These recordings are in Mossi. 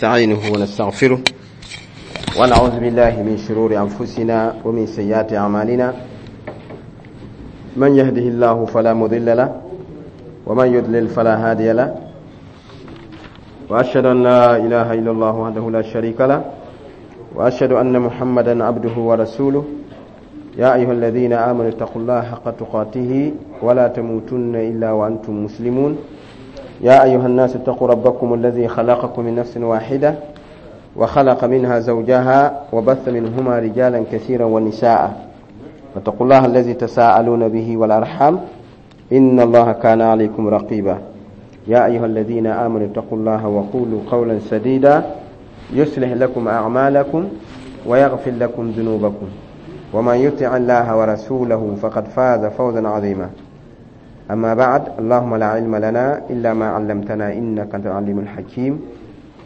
نستعينه ونستغفره ونعوذ بالله من شرور أنفسنا ومن سيئات أعمالنا. من يهده الله فلا مضل له ومن يضلل فلا هادي له، وأشهد أن لا إله إلا الله وحده لا شريك له، وأشهد أن محمدا عبده ورسوله. يا أيها الذين آمنوا اتقوا الله حق تقاته ولا تموتن إلا وأنتم مسلمون. يا أيها الناس اتقوا ربكم الذي خلقكم من نفس واحدة وخلق منها زوجها وبث منهما رجالا كثيرا ونساء، واتقوا الله الذي تساءلون به والأرحام إن الله كان عليكم رقيبا. يا أيها الذين آمنوا اتقوا الله وقولوا قولا سديدا يصلح لكم أعمالكم ويغفر لكم ذنوبكم، ومن يطع الله ورسوله فقد فاز فوزا عظيما. أما بعد، اللهم لا علم لنا إلا ما علمتنا إنك أنت العليم الحكيم.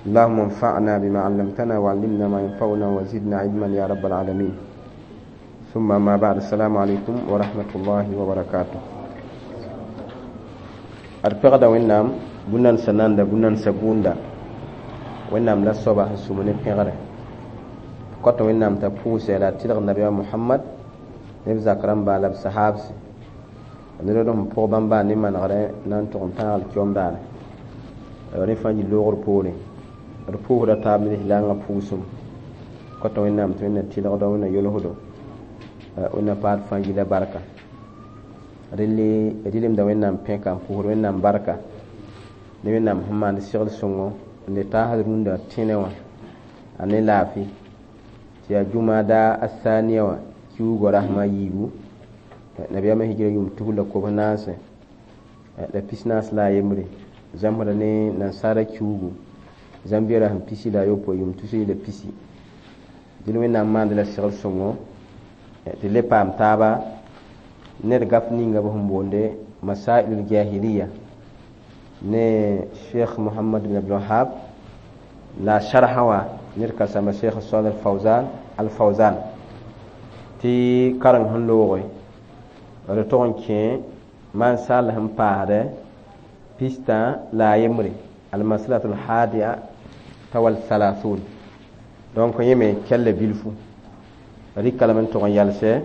اللهم انفعنا بما علمتنا وعلمنا ما ينفعنا وزدنا علما يا رب العالمين. ثم ما بعد، السلام عليكم ورحمة الله وبركاته. أرفقد وإنام بنان سناندا بنان سبوندا وإنام لا صباح سمني بيغري قط وإنام تبوس على تلغ النبي محمد نبزا كرم بالب صحابس ned sẽn pʋg bãmba ne manegrẽ na n tʋg n tãag kiom daane rẽ fãa yɩ loogr poorẽ d pʋʋsda taab ne lislaangã pʋʋsem kota Wẽnnaam tɩ Wẽnna tɩlgdo, Wẽnna yolsdo, Wẽnna paad fãa yila barka. Relle d rɩlemda Wẽnnaam pẽka n pʋʋsd Wẽnnaam barka ne Wẽnnaam sẽn maand segl sõngo n le taasd rũndã tẽnẽ wã a ne laafɩ tɩ yaa jumada athaniya wã kiuugã rasma yiibu nabiyaamã hijra yʋʋm tus la kobs naase la pis naas la a yembre zãmsda ne nansaara kiuugu zãmbia rasem pisi la a yopoe yʋʋm tus la pisi. Dẽn Wẽnnaam maand la segl sõngo tɩ le paam taaba ned gaf ninga b sẽn boonde masailul jahiliya ne Cheikh Mohamad bin Abdulwahab la sharha wã ned ka sãmba Cheikh Salih Fawzan al Fawzan tɩ kareng sẽn looge d tog n kẽ maan sall sẽn paasdɛ pistã la a yembre almasalatu lhadia tawal thalathun. Donc yẽ me kɛlla bilfu rɩka lame n tog n yalsɛ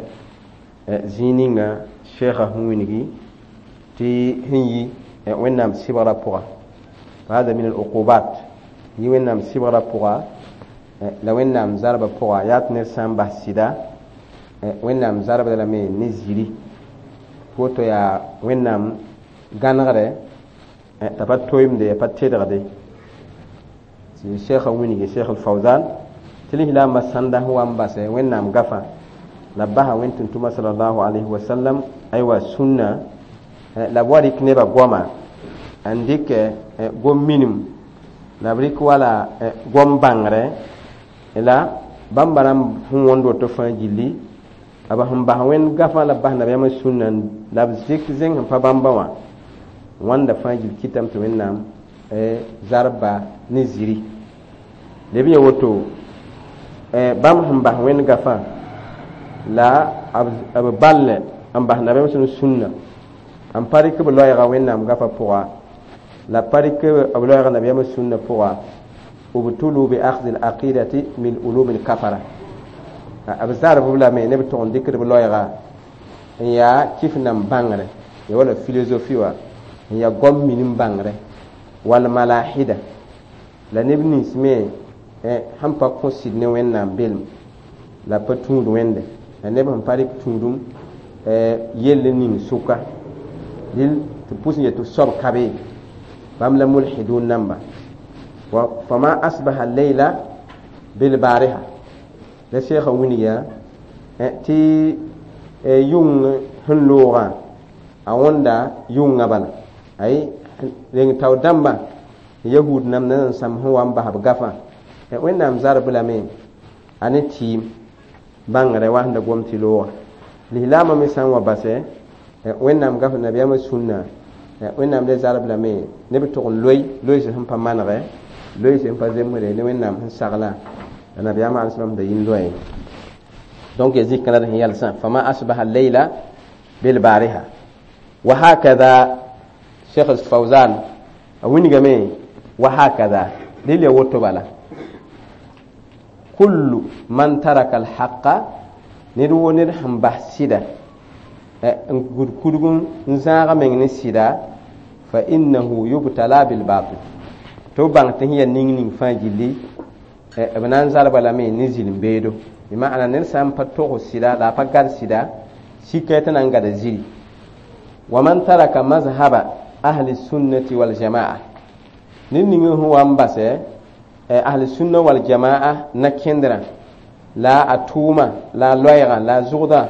zĩig ninga sheekha sẽn wilgi tɩ sẽn yi Wẽnnaam sɩbgrã pʋga hada min aluqubat yi Wẽnnaam sɩbgrã pʋga la Wẽnnaam zarbã pʋga yaa tɩ ned sã n bas sɩda Wẽnnaam zarbda lame ne ziri woto yaa Wẽnnaam gãnegrɛ t'a pa toeemde a pa tedgde tɩ sheekha wilgi Sheikh al-Fawzan tɩ lislaambã sãnda sẽn wa n basɛ Wẽnnaam gafã la b basa Wẽn tʋm-tʋma salallahu alayhi wa sallam aywa sũnna la b wa rɩk nebã goama n dɩkɛ gom minim la b rɩk wala gom bãngrɛ la bãmba rãmb sẽn wõnd woto fãa gilli b sẽn bas Wẽnd gafã la b bas nabiyaamã sũnna la b zɩk zẽng sẽn pa bãmba wã wãnda fãa gill kɩtame tɩ Wẽnnaam zarbba ne ziri leb yã woto bãmb sẽn bas Wẽnd gafã la b ball n bas nabiyaamã sẽn sũnna n pa rɩk b loɛɛga Wẽnnaam gafã pʋga la pa rɩk b loɛɛga nabiyaamã sũnna pʋga ubtulu bi akhdi alaqidati min ulumi alkafara b zarb b lame ne b tʋg n dɩkd b loɛɛga n yaa kɩf nam bãngrɛ ya wala philosophie wã n yaa gom minim bãngrɛ wal malahida la neb nins me sẽn pa kõ sɩd ne Wẽnnaam belem la pa tũud Wẽnde la neb sẽn pa rɩk tũudum yell ning sʋka dɩl tɩ pʋs n yet tɩ soab ka be bãmb la mulhidun namba fama asbaha leyla bilbariha la sheekha wilga tɩ yʋng sẽn loogã a wõnda yʋnga bala ay reng tao dãmba yahud nam na n sãmb sẽn wa n bas b gafã Wẽnnaam zarb lame a ne tɩɩm bãngrɛ wa sẽn da gom tɩ looga lislaamã me sã n wa basɛ Wẽnnaam gaf nabiyaamã sũnna Wẽnnaam le zarb lame ne b tʋg n loe loees sẽn pa manegɛ loees sẽn pa zemsde ne Wẽnnaam sẽn sagla la nabiyaamã alai salam da yĩn loe. Donc ya zikã la sẽn yalsã fama asbaha leyla bilbariha wa hakada Cheikh Fawzan a wilgame wa hakada dɩl ya woto bala. Kullu man taraka alhaqa, ned woo ned sẽn bas sɩda n gud kudg n zãag meng ne sɩda, fa innahu yubtala bilbatil, tɩ b bãng tɩ sẽn yaa ning ning fãa gilli b na n zalba lame ne zĩl-beedo. Bɩ maana ned sã n pa togs sɩda la a pa gad sɩda, sika tɩ na n gada ziri. Wa man taraka mazhaba ahli sunnati waljamaa, ned ning sẽn wa n basɛ ahli sunna waljamaa na kẽndrã la a tʋʋma la a loɛɛgã la a zʋgdã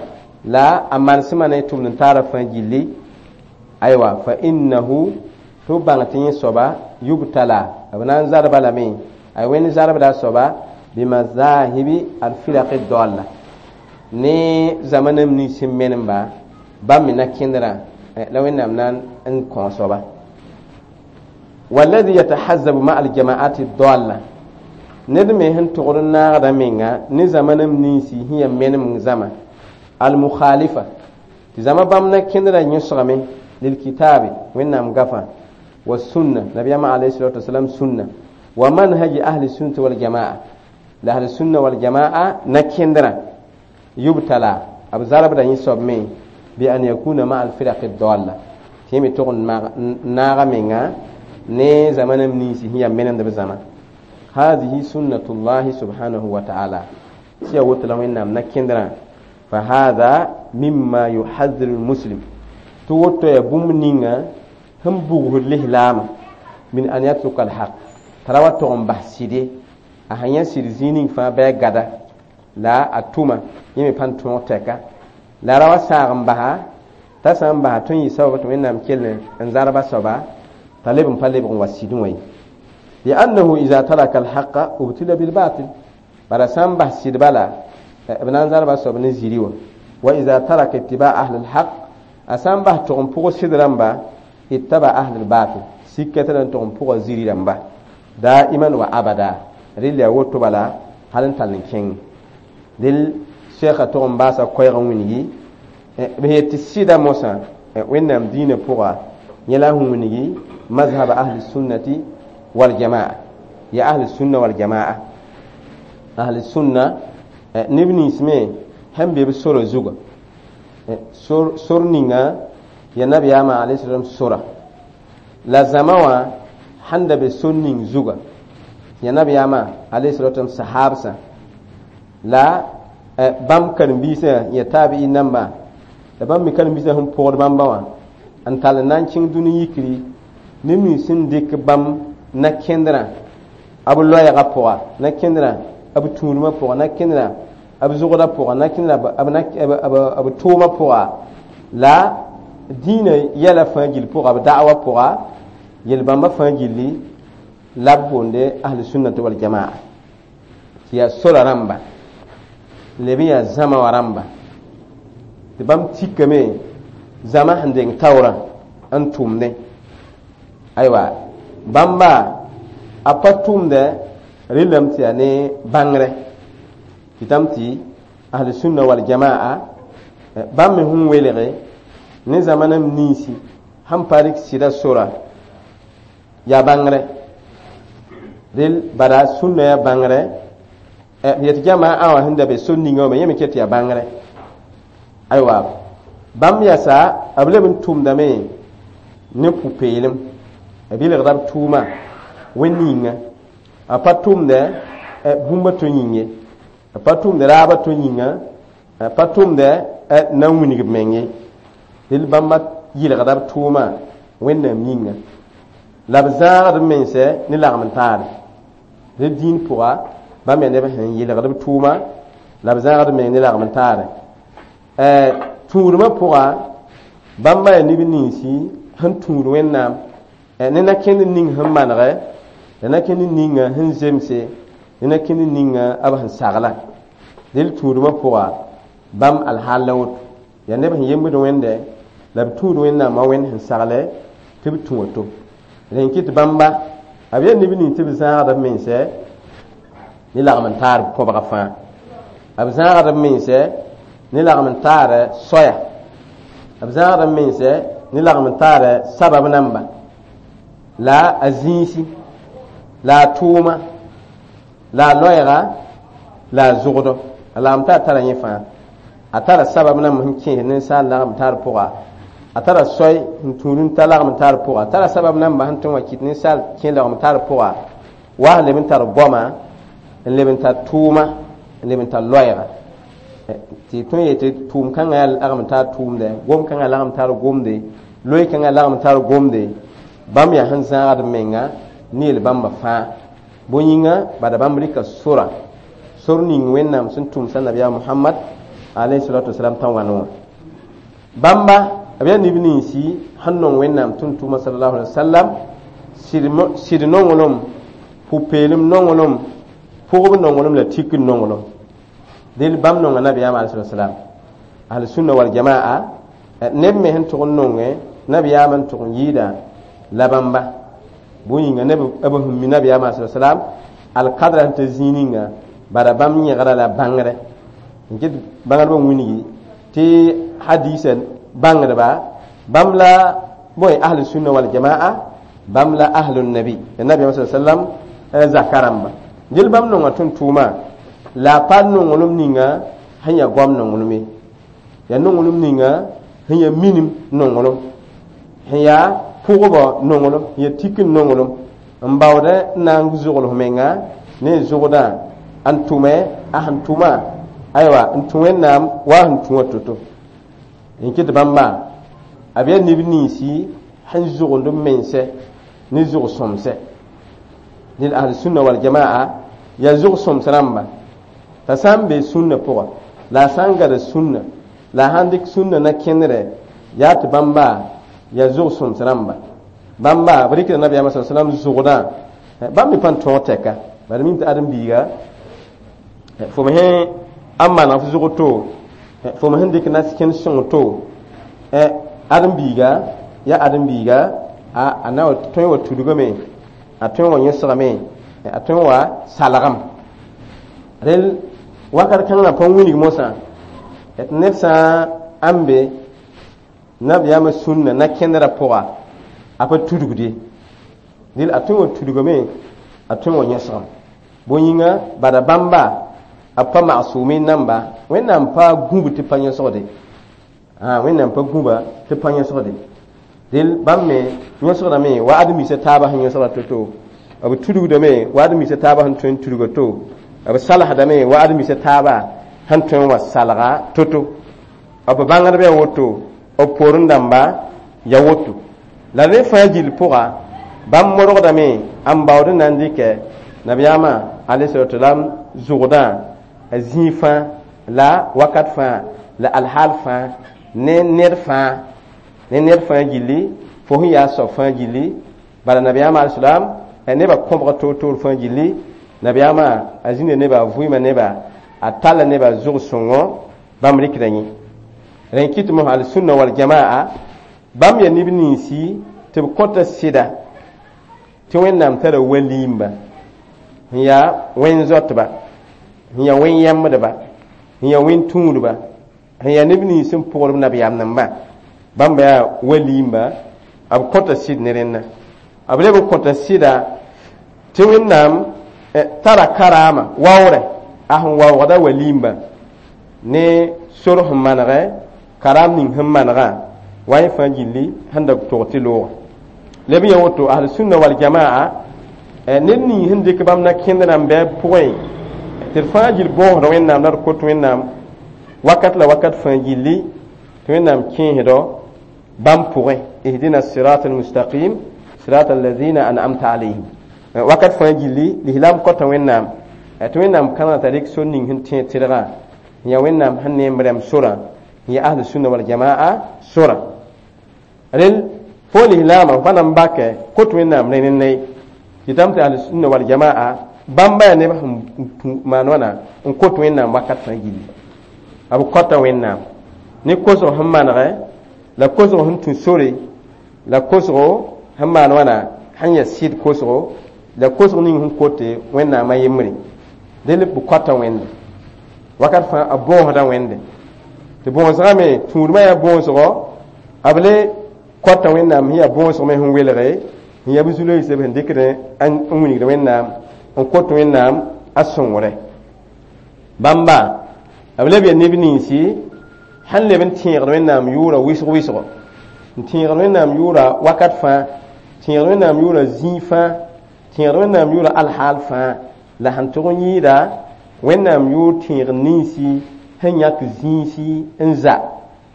la a manesmã ne tʋmd n taara fãa gilli, aywa, fa innahu, tɩ b bãng tɩ yẽ soaba yubtala, b na n zalba lame, ay wẽnd zalbda a soaba bimazahibi alfiraqi dalla, ne zamanam nins sẽn menemba bãmb me na kẽndrã la Wẽnnaam na n kõ soaba. Walladhi yatahazzabu ma aljamaati dalla, ned me sẽn togd n naagda menga ne zamanam ninsi sẽn yaa menem zãma almukhalifa, tɩ zãma bãmb na kẽndrã yõsgame lilkitabi, Wẽnnaam gafã, wa sunna nabiyama alayhi salatu wasalam sunna, wa manhaji ahli sunnati waljamaa, la ahli sunna waljamaa na kẽndrã, yubtala, b zarbda yẽ soab me bi an yakuna ma alfiraqi dalla, tɩ yẽ me tog n naaga menga ne zamanam ninsi sẽn yaa menemd b zãma. Hadihi sunnatullahi subhanahu wa ta'ala, tɩ yaa woto la Wẽnnaam na kẽndrã. Fa hada mimma yuhadhiru lmuslim, tɩ woto yaa bũmb ninga sẽn bugsd lislaamã, min an yatruka alhaq, t'a ra wa tog n bas sɩde, a sẽn yã sɩd zĩig ning fãa bɩ a gada la a tʋma, yẽ me pãn tõog tɛka la ra wa saag n basa, t'a sã n basa tõe n yɩ sabab tɩ Wẽnnaam kell n zarba soaba t'a leb n pa lebg n wa sɩdẽ wã ye. Liannahu ida taraka alhaqa ubtila bilbatil, bara sã n bas sɩd bala b na n zarba soab ne ziri wã. Wa ida taraka ittiba ahli lhaq, a sã n bas tog n pʋg sɩd rãmba, ittaba ahli lbatil, sika tɩ na n tog n pʋga ziri rãmba daiman wa abada. Rɩl yaa woto bala hal n tall n kẽng dɩl sɛka tog n baasa koɛɛg n wilgi b yet tɩ sɩda mosã Wẽnnaam diinã pʋga yẽ la sẽn wilgi mazhab ahli sunnati waljamaa, ya ahli sunna waljamaa. Ahli sunna neb nins me sẽn be b sora zuga, sor ninga ya nabiyaamã alayhi salam sora la zãma wã sãn da be sor ning zuga ya nabiyaamã alayhi salatu wasalam sahabsã la bãmb karen-biisã ya taabi'i namba la bãmb me karen-biisã sẽn pʋgd bãmba wã n tall n na n kẽng dũni yikri neb nins sẽn dɩk bãmb na kẽndrã b loɛɛgã pʋga, na kẽndrã b tũudmã pʋga, na kẽndrã b zʋgdã pʋga, na kẽndrã b tʋʋmã pʋga, la dĩinã yɛla fãa gill pʋga, b da'wa pʋga, yel-bãmbã fãa gilli la b boonde ahli sunnati waljamaa, tɩ yaa sora rãmba leb n yaa zãma wã rãmba tɩ bãmb tikame zãma sẽn deng taoorã n tʋmdẽ. Aywa, bãmba a pa tʋmdɛ rɩlame tɩ yaa ne bãngrɛ tɩtame tɩ ahli sunna waljamaa bãmb me sẽn welge ne zamanam ninsi sẽn pa rɩk sɩda sora yaa bãngrɛ rel bara sũnna yaa bãngrɛ yetɩ jamaa wã sẽn da be sor ninga wã me yẽ me ket tɩ yaa bãngrɛ. Aywa, bãmb yasa b leb n tʋmdame ne pʋ-peelem, b yelgda b tʋʋma wẽnd yĩnga, a pa tʋmdɛ bũmba to yĩng ye, a pa tʋmdɛ raaba to yĩnga, a pa tʋmdɛ na n wilg b meng ye. Rel bãmba yɩlgda b tʋʋma Wẽnnaam yĩnga la b zãagd b mensɛ ne lagm n taare rel dĩin pʋga. Bãmb yaa neb sẽn yɩlgd b tʋʋma la b zãagd b meng ne lagm n taare tũudmã pʋga. Bãmba yaa neb ninsi sẽn tũud Wẽnnaam ne na-kẽnd ning sẽn manegɛ, la na-kẽnd ninga sẽn zemse, ne na-kẽnd ninga b sẽn sagla. Rel tũudmã pʋga bãmb alhaal la woto yaa neb sẽn yembd Wẽnde la b tũud Wẽnnaamã wẽnd sẽn saglɛ tɩ b tũ woto. Rẽn kɩt bãmba b yaa neb ning tɩ b zãagd b mensɛ ne lagm n taar kõbga fãa, b zãagd b mensɛ ne lagm n taar soaya, b zãagd b mensɛ ne lagm n taar sabab namba la a zĩisi la a tʋʋma la a loɛɛga La a zʋgdo a lagem t'a tara yẽ fãa a tara sabab nãmb sẽn kẽes ninsaal lagem tar pʋga a tara soy n tũud n ta lagem tar pʋga a tara sabab namba sẽn tõe n wa kɩt ninsaal kẽ lagem tar pʋga wa sẽn leb n tar goama n leb n tar tʋʋma n leb n tar loɛɛga tɩ tõe n yetɩ tʋʋm kãngã yaa lagem tar tʋʋmdɛ gom kãngã lagem tar gomde loe kãngã lagem tar gomde bãmb yaa sẽn zãagd menga ne yel bãmba fãa bõe yĩnga bada bãmb rɩka sora sor ning wẽnnaam sẽn tʋmsa nabiyaam Mohamad alayhi salatu wasalam t'a wãn wã bãmba b yaa neb ninsi sẽn nong wẽnnaam tʋm-tʋʋma sallallahu alaihi wasallam sɩd nonglem pʋ-peelem nonglem pʋgb nonglem la tikr nonglem del bãmb nonga nabiyaam alayhi salatu wasalam ahlusunna wal jamaa neb me sẽn tʋg n nongẽ nabiyaam n tʋg n yɩɩda la bãmba bõe yĩnga neb b sẽn mi nabiyaam alayhi salatu wasalam alkadra sẽn ta zĩig ninga bara bãmb yẽgra la bãngrɛ n ket bãngdbã wilgi tɩ hadisa bãngdba bãmb la bõe ahlusunna wal jamaa bãmb la ahlun nabi la nabiyaam sa sallam zaka rãmba gel bãmb nonga tʋm-tʋʋmã la a pa nonglem ninga sẽn yaa goam nonglem ye yaa nonglem ninga sẽn yaa minim nonglem sẽn yaa pʋgbã nonglem sẽn yaa tikr nonglem n baood n na n zʋgls menga ne zʋgdã n tʋme a sẽn tʋma aywa n tũ wẽnnaam wa sẽn tũ wã to-to n kɩt bãmba b yaa neb ninsi sẽn zʋgend b mensɛ ne zʋg-sõmsɛ ned ahl-sunna wal jamaa yaa zʋg-sõms rãmba t'a sã n be sũnna pʋga la a sã n gada sũnna la a sãn dɩk sũnna na kẽndrɛ yaa tɩ bãmba yaa zʋg-sõms rãmba bãmba b rɩkda nabiyaamã sa sallam zʋgdã bãmb me pa n tõog tɛka bala mim tɩ ãdem-biiga fo me sẽn a maneg f zʋg to fo me sẽn dɩk nas kẽnd sõng to ãdem-biiga yaa ãdem-biiga a na tõe n wa tudgame a tõe n wa yõsgame a tõe n wa salgem rel wakat kãngã pa wilg mosã tɩ ned sã n be nabiyaamã sũnna na kẽndrã pʋga a pa tudgd ye dɩl a tõe n wa tudgame a tõe n wa yõsgem bõe yĩnga bada bãmba a pa magsʋʋme namba wẽnnaam pa gũb tɩ pa yõsgde wẽnnaam pa gũba tɩ pa yõsgde dɩl bãmb me yõsgdame wa ãdem-biisã taabã sẽn yõsgra to-to b tudgdame wa ãdem-biisã taabã sẽn tõe n tudga to b salsdame wa ãdem-biisã taabã sẽn tõe n wa salga to-to b bãngdb yaa woto b poorẽ dãmba yaa woto la rẽ fãa gill pʋga bãmb modgdame n baood n na n dɩkɛ nabiyaamã alayhi salam zʋgdã a zĩig fãa la wakat fãa la alhaal fãa ne ned fãa ne ned fãa gilli fo sẽn yaa soab fãa gilli bala nabiyaamã alayhi salam nebã kõbga toor-toor fãa gilli nabiyaamã a zĩnda nebã a vʋɩɩma neba a talla nebã zʋg-sõngo bãmb rɩkda yẽ rẽ kɩt mos al-sunna wal jamaa bãmb yaa neb ninsi tɩ b kõta sɩda tɩ wẽnnaam tara waliimba n yaa wẽn-zoatba n yaa wẽn-yɛmdba n yaa wẽn-tũudba n yaa neb nins n pʋgd b nabiyaam nambã bãmba yaa waliimba b kõta sɩd ne rẽnna b leb n kõta sɩda tɩ wẽnnaam tara karaama waoorɛ a sẽn waoogda waliimba ne sor sẽn manegɛ karaam ning sẽn manegã wa yẽ fãa gilli sẽn da tog tɩ looga leb n yaa woto ahl-sunna wal jamaa ned ning sẽn dɩk bãmb na kẽnd n bɩ pʋgẽ tɩ d fãa gill bõosd wẽnnaam la d kot wẽnnaam wakat la wakat fãa gilli tɩ wẽnnaam kẽesdɔ bãmb pʋgẽ ihdina sirat almustaqim sirat alladhina an'amta alayhim wakat fãa gilli lislaam kota wẽnnaam tɩ wẽnnaam kãnega t'a rɩk sor ning sẽn tẽeg tɩrgã n yaa wẽnnaam sẽn neem rɛm sorã n yaa ahl-sunna wal jamaa sora rel fo lislaamã fa na n bakɛ kot wẽnnaam rẽ ne tɩ tɩ ahl-sunna wal jamaa bãmba yaa neb sẽn maan wãna n kot wẽnnaam wakat fãa gilli b kota wẽnnaam ne kosg sẽn manegɛ la kosg sẽn tũ sore la kosgo sẽn maan wãna sẽn yaa sɩd kosgo la kosg ning sẽn kote wẽnnaamã yembre del b kota wẽnde wakat fãa b bõosda wẽnde tɩ bõosgã me tũudmã yaa bõosgo b le kota wẽnnaam sẽn yaa bõosg me sẽn welge n yaa b zu-loeesã b sẽn dɩkd n wilgd wẽnnaam n kot wẽnnaam a sõngre Bãmba b leb yaa neb ninsi sẽn leb n tẽegd Wẽnnaam yʋʋra wɩsg wɩsgo, n tẽegd Wẽnnaam yʋʋra wakat fãa, tẽegd Wẽnnaam yʋʋra zĩig fãa, tẽegd Wẽnnaam yʋʋra alhaal fãa, la sẽn tʋg n yɩɩda Wẽnnaam yʋʋr tẽegd ninsi sẽn yãk zĩisi n za,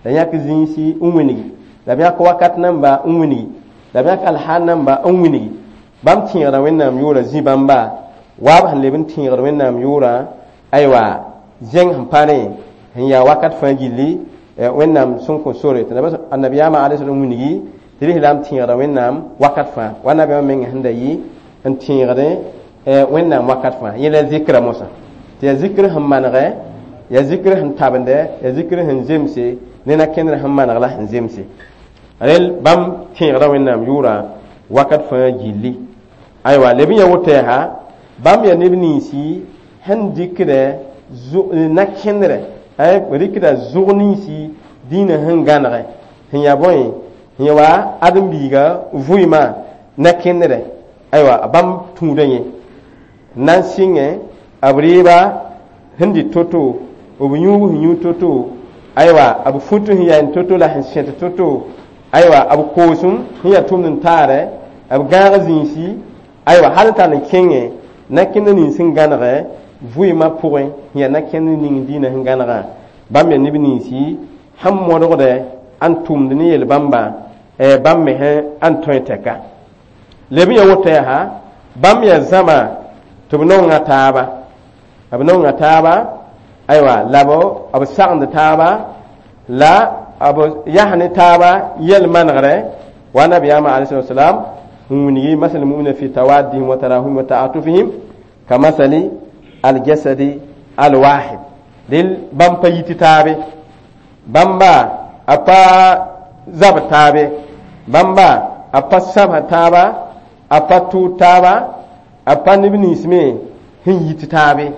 la yãk zĩisi n wilgi, la b yãk wakat namba n wilgi, la b yãk alhaal namba n wilgi. Bãmb tẽegda Wẽnnaam yʋʋra zĩ bãmba wa b sẽn leb n tẽegd Wẽnnaam yʋʋra aywa zẽng sẽn pa rẽ sẽn yaa wakat fãa gilli Wẽnnaam sẽn kõ sore tɩ annabiyaamã alayhi wilgi tɩ lislaam tẽegda Wẽnnaam wakat fãa wa nabiyaamã menga sẽn da yɩ n tẽegdẽ Wẽnnaam wakat fãa. Yẽ la zikra mosã tɩ yaa zikr sẽn manegɛ, yaa zikr sẽn tabende, yaa zikr sẽn zemse ne na-kẽndr sẽn maneg la sẽn zemse. Rel bãmb tẽegda Wẽnnaam yʋʋra wakat fãa gilli. Aywa leb n ya woto yaa bãmb yaa neb ninsi sẽn dɩkdɛ na-kẽndrɛ, rɩkda zʋg ninsi dĩinã sẽn gãnegɛ sẽn yaa bõe sẽn ya wa ãdem-biiga vʋɩmã na-kẽndrɛ. Aywa bãmb tũuda yẽ na n sɩngẽ b reeba sẽn dɩ to-to, b yũub sẽn yũ to-to, aywa b fut sẽn yaa to-to la sẽn sẽt to-to, aywa b koosem sẽn yaa tʋmd n taarɛ, b gãag zĩisi, aywa hal n tar n kẽngẽ na-kẽnd nins sẽn gãnegɛ vʋɩmã pʋgẽ sẽn yaa na-kẽnd ning dĩinã sẽn gãnegã. Bãmb yaa neb ninsi sẽn modgdɛ n tʋmd ne yel-bãmba bãmb me sẽn tõe tɛka. Leb n ya woto yaa bãmb yaa zãma tɩ b nonga taaba, b nonga taaba, aywa la b sagend taaba, la b yas ne taaba yɛl manegrɛ wa nabiyaamã alayhi salam n wilgi masal mu'mina fi tawaddihim wa tarahumihim wa ta'atufihim ka masali aljasadi alwahid. Dɩl bãmb pa yit taabe, bãmba a pa zab taabe, bãmba a pa sãbs taaba, a pa tʋʋd taaba, a pa neb nins me sẽn yit taabe,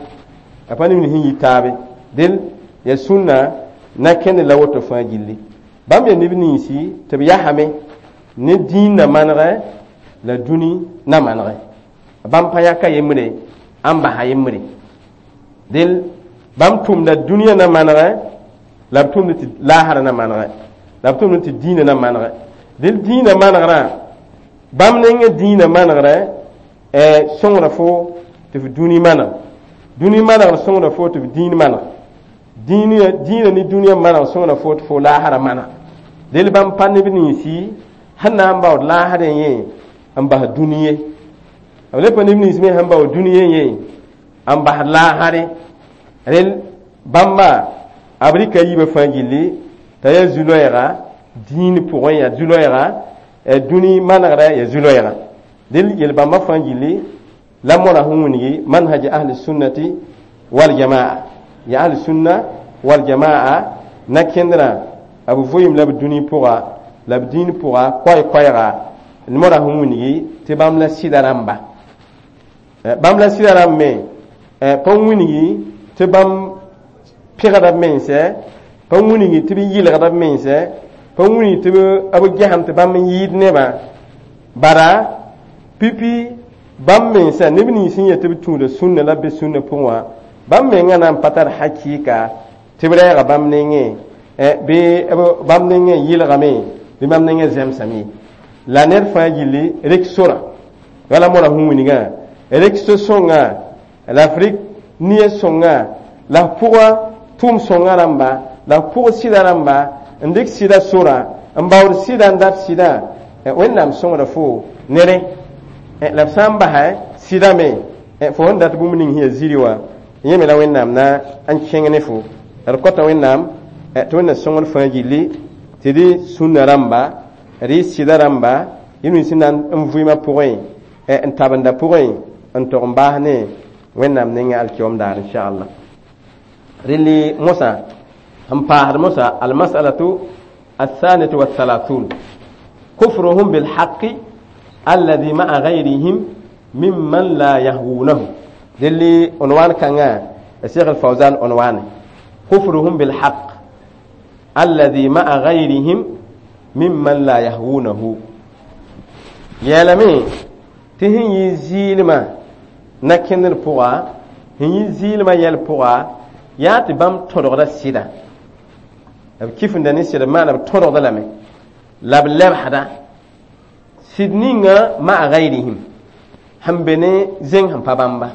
a pa neb nins sẽn yit taabe. Dɩl ya sũnna na kẽnd la woto fãa gilli. Bãmb yaa neb ninsi tɩ b yasame ne dĩin na manegɛ la dũni na manegɛ. Bãmb pa yãka yembre n basa yembre. Dɩl bãmb tʋmda dũniyã na manegɛ la b tʋmd tɩ laasrã na manegɛ, la b tʋmd tɩ dĩinã na manegɛ. Dɩl dĩinã manegrã bãmb nengẽ dĩinã manegrɛ sõngda fo tɩ f dũni maneg, dũni manegr sõngda fo tɩ f dĩin maneg, dĩinã ne dũniyã maneg sõngda fo tɩ fo laasrã maneg. Dɩl bãmb pa neb ninsi sẽn na n baood laasrẽ yẽ n bas dũni ye, b le pa neb nins me sẽn baood dũni yẽ n bas laasre. Rel bãmba b rɩka yiibã fãa gilli t'a yaa zu-loɛɛga dĩin pʋgẽ, yaa zu-loɛɛga dũni manegrã, yaa zu-loɛɛga. Dɩl yel-bãmbã fãa gilli la mora sẽn wilgi manhaj ahli sunnati wal jamaa, ya ahli sunna wal jamaa na-kẽndrã b vʋɩɩm la b dũni pʋga la b dĩin pʋga koɛɛ-koɛɛga mora sẽn wilgi tɩ bãmb la sɩda rãmba, bãmb la sɩda rãmb me pa wilgi tɩ bãmb pẽgda b mensɛ, pa wilgi tɩ b yɩlgda b mensɛ, pa wilgi tɩ b gesem tɩ bãmb n yɩɩd nebã. Bara pipi bãmb mensã neb nins sẽn yet tɩ b tũuda sũnna la b be sũnna pʋgẽ wã, bãmb mengã na n pa tar hakɩɩka tɩ b rɛɛga bãmb nengẽ bɩ bãmb nengẽ yɩlgame bɩ bãmb nengẽ zẽmsame. La ned fãa gilli rek sora wala mora sẽn wilgã rek so-sõnga la f rɩk nia sõnga la f pʋga tʋʋm sõnga rãmba la f pʋg sɩda rãmba n dɩk sɩda sora n baood sɩda n dat sɩda. Wẽnnaam sõngda fo ne rẽ la f sã n basɛ sɩda me fo sẽn dat bũmb ning sẽn yaa ziri wã yẽ me la Wẽnnaam na n kẽng ne fo. La d kõta Wẽnnaam tɩ Wẽnnaam sõngd fãa gilli tɩ dɩ sũnna rãmba, rɩ sɩda rãmba, yẽ nins sẽn na n vʋɩmã pʋgẽ n tabenda pʋgẽ n tog n baas ne Wẽnnaam nengẽ alkiom daar inchallah. Rẽlli mosã n paasd mosã almasalatu الثانية والثلاثون كفرهم بالحق الذي مع غيرهم ممن لا يهوونه. دلي عنوان كان الشيخ الفوزان عنوان كفرهم بالحق الذي مع غيرهم ممن لا يهوونه. يا tɩ sẽn yɩ zɩɩlmã na-kẽndr pʋga, sẽn yɩ zɩɩlmã yɛl pʋga Yaa tɩ bãmb tõdgda sɩda, b kifenda ne sɩd maana b tõdgda lame la b lebsda sɩd ninga ma'a gayrihim sẽn be ne zẽng sẽn pa bãmba,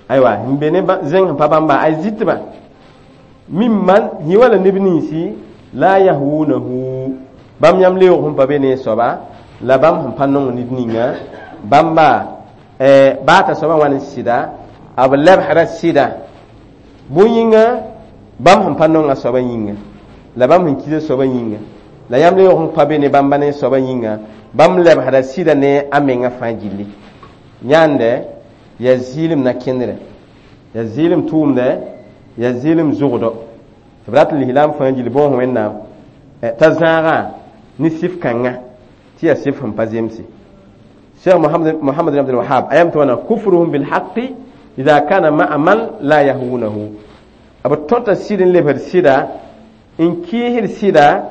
aywa, sẽn be ne zẽng sẽn pa bãmba, ay zɩtbã mimman yẽ wala neb ninsi la yahwunahu, bãmb yãmb leoog sẽn pa be ne soaba la bãmb sẽn pa nong ned ninga bãmba baa t'a soabã wa ne sɩda, b lebsda sɩda bõe-yĩnga bãmb sẽn pa nong a soabã yĩnga la bãmb sẽn kis a soabã yĩnga la yãmb leoog sẽn pa be ne bãmba ne soabã yĩnga, bãmb lebsda sɩda ne a menga fãa gilli. Yãande yaa zɩɩlem na kẽndrɛ, yaa zɩɩlem tʋʋmdɛ, yaa zɩɩlem zʋgdɔ tɩ b rat n lislaam fãa gilli bõos Wẽnnaam t'a zãagã ne sɩf kãngã tɩ yaa sɩf sẽn pa zemse. Cheikh Muhammad bin Abdul Wahhab ayam tɩ wãna kufruhum bilhaqi idha kana ma'a man la yahwunahu, b tõta sɩd n lebsd sɩda n kɩɩsd sɩda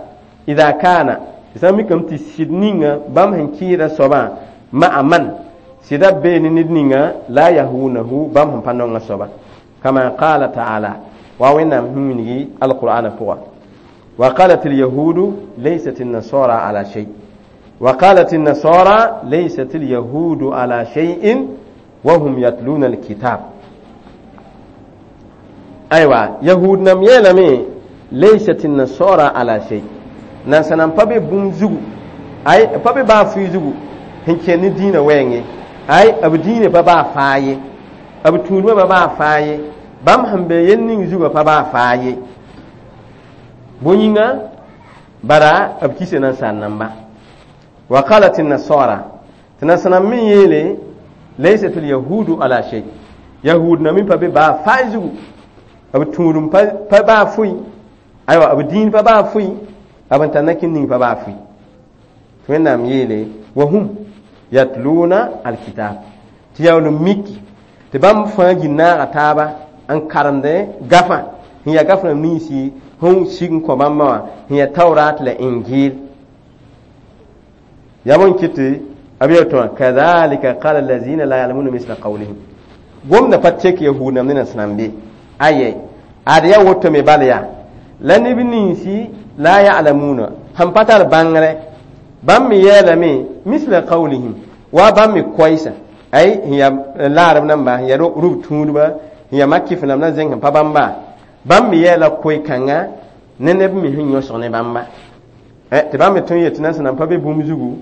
idha kana sã n mikame tɩ sɩd ninga bãmb sẽn kɩɩsda soabã ma'a man sɩda bee ne ned ninga la yahwunahu, bãmb sẽn pa nonga soaba, kama qala taala wa Wẽnnaam sẽn wilgi alqur'ana pʋga: وقالت اليهود ليست النصارى على شيء وقالت النصارى ليست اليهود على شيء وهم يتلون الكتاب. أيوة، يهود نم يلمي ليست النصارى على شيء نانسان pa be bũmb zugu, ay pa be baa fʋɩ zugu sẽn kẽnd ne dĩinã wɛɛngẽ, ay b dĩinã pa baa faa ye, b tũudmã pa baa faa ye, bãmb sẽn be yel ning zugã pa baa faa ye, bõe-yĩnga bara b kisa nansaar namba. Wa qalat nasara, tɩ nansãnam me yeele laysat alyahudu ala shay, yahud na me pa be baa faa zugu, b tũudum pa baa fʋɩ, aywa, b dĩin pa baa fʋɩ, b n tar nakin ning pa baa fʋɩ. Tɩ Wẽnnaam yeele wa hum yatluna alkitab, tɩ yaool n miki tɩ bãmb fãa gil naaga taaba n karemdẽ gafã sẽn yaa gaf rãmb ninsi sẽn sig n kõ bãmba wã sẽn yaa Taurat la Injil. Yaa bõn kɩt tɩ b yel tõa kadhalika qala allazina la ya'lamuna misla qawlihim, gomda pa tek yahud nam ne nasẽnam be ayɛ ad yaa woto me bal yaa la neb ninsi la ya'lamuna sẽn pa tar bãngrɛ bãmb me yeelame misla qawlihim wa bãmb me koɛɛsa, ay sẽn yaa laarb namba, sẽn yaa rub tũudba, sẽn yaa makɩf namba na zẽng sẽn pa bãmba, bãmb me yeela koe-kãngã ne neb me sẽn yõsg ne bãmba tɩ bãmb me tõe n yet tɩ nansã pa be bũmb zugu,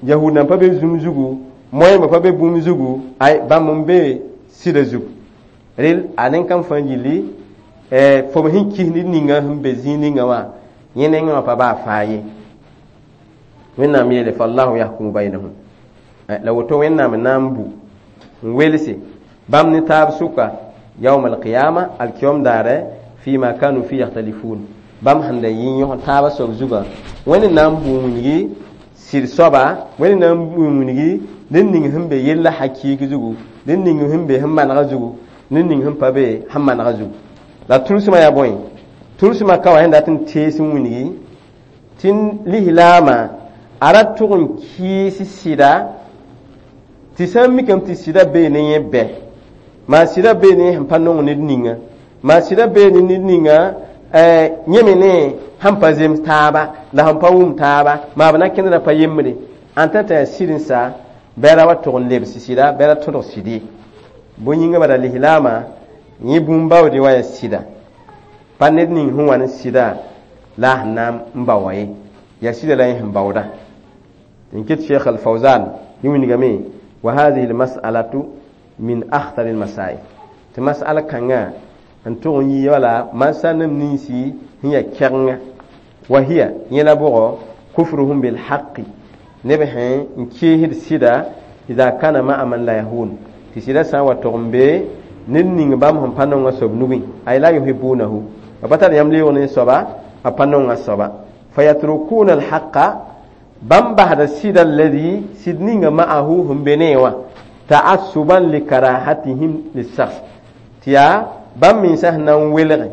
yahud nan pa be zũm zugu, moẽmbã pa be bũmb zugu, ay bãmb n be sɩda zugu. Rel a nen-kãng fãa gilli fo sẽn kis ned ninga sẽn be zĩig ninga wã yẽ nengẽ wã pa baa faa ye. Wẽnnaam yeele fallahu yahkumu baynahum, la woto Wẽnnaam n na n bu n welse bãmb ne taab sʋka yawm alqiyama, alkiyom daare, fima kanu fi yakhtalifun, bãmb sẽn da yɩ yõs taabã soab zugã. Wẽnd n na n bu n wilgi sɩd soaba, Wẽnd n na n bu n wilgi ned ning sẽn be yella hakɩɩk zugu, ned ning sẽn be sẽn manegã zugu, ned ning sẽn pa be sẽn manegã zugu. La tʋlsmã yaa bõe? Tʋlsmã ka wa sẽn dat n tees n wilgi tɩ lislaamã a ra tʋg n kɩɩs sɩda tɩ sã n mikame tɩ sɩda bee ne yẽ bɛ maa sɩda bee ne sẽn pa nong ned ninga, maa sɩda bee ne ned ninga yẽ me ne sẽn pa zems taaba la sẽn pa wʋm taaba, maa b na kẽndra pa yembre ãn tã t'a yaa sɩd n sa bɩ ra wa tʋg n lebs sɩda, bɩ ra tõdg sɩd ye. Bõe-yĩngã bara lislaamã yẽ bũmb baoode wa yaa sɩda, pa ned ning sẽn wa ne sɩda la a sẽn na n ba wa ye, yaa sɩda la yẽ sẽn baooda. N ket Cheikh Al-Fawzan yẽ wilgame wa hadhihi almas'alatu min akhtar almasail, tɩ mas'ala kãngã n tʋg n yɩ wala mansã nem ninsi sẽn yaa kɛgenga wa hiya yẽ la bʋgɔ kufruhum bilhaqi, neb sẽn n keesd sɩda idha kana ma'a man la yahun, tɩ sɩda sã n wa tʋg n be ned ning bãmb sẽn pa nonga soab nugẽ, ay la yuhibunahu, b pa tar yãmb leoog ne soaba, b pa nonga soaba, fayatrukuna alhaqa, bãmb basda sɩda alladhi sɩd ninga ma'ahu sẽn be ne wã ta'assuban likarahatihim lissakhs, tɩ yaa bãmb mensã sẽn na n welge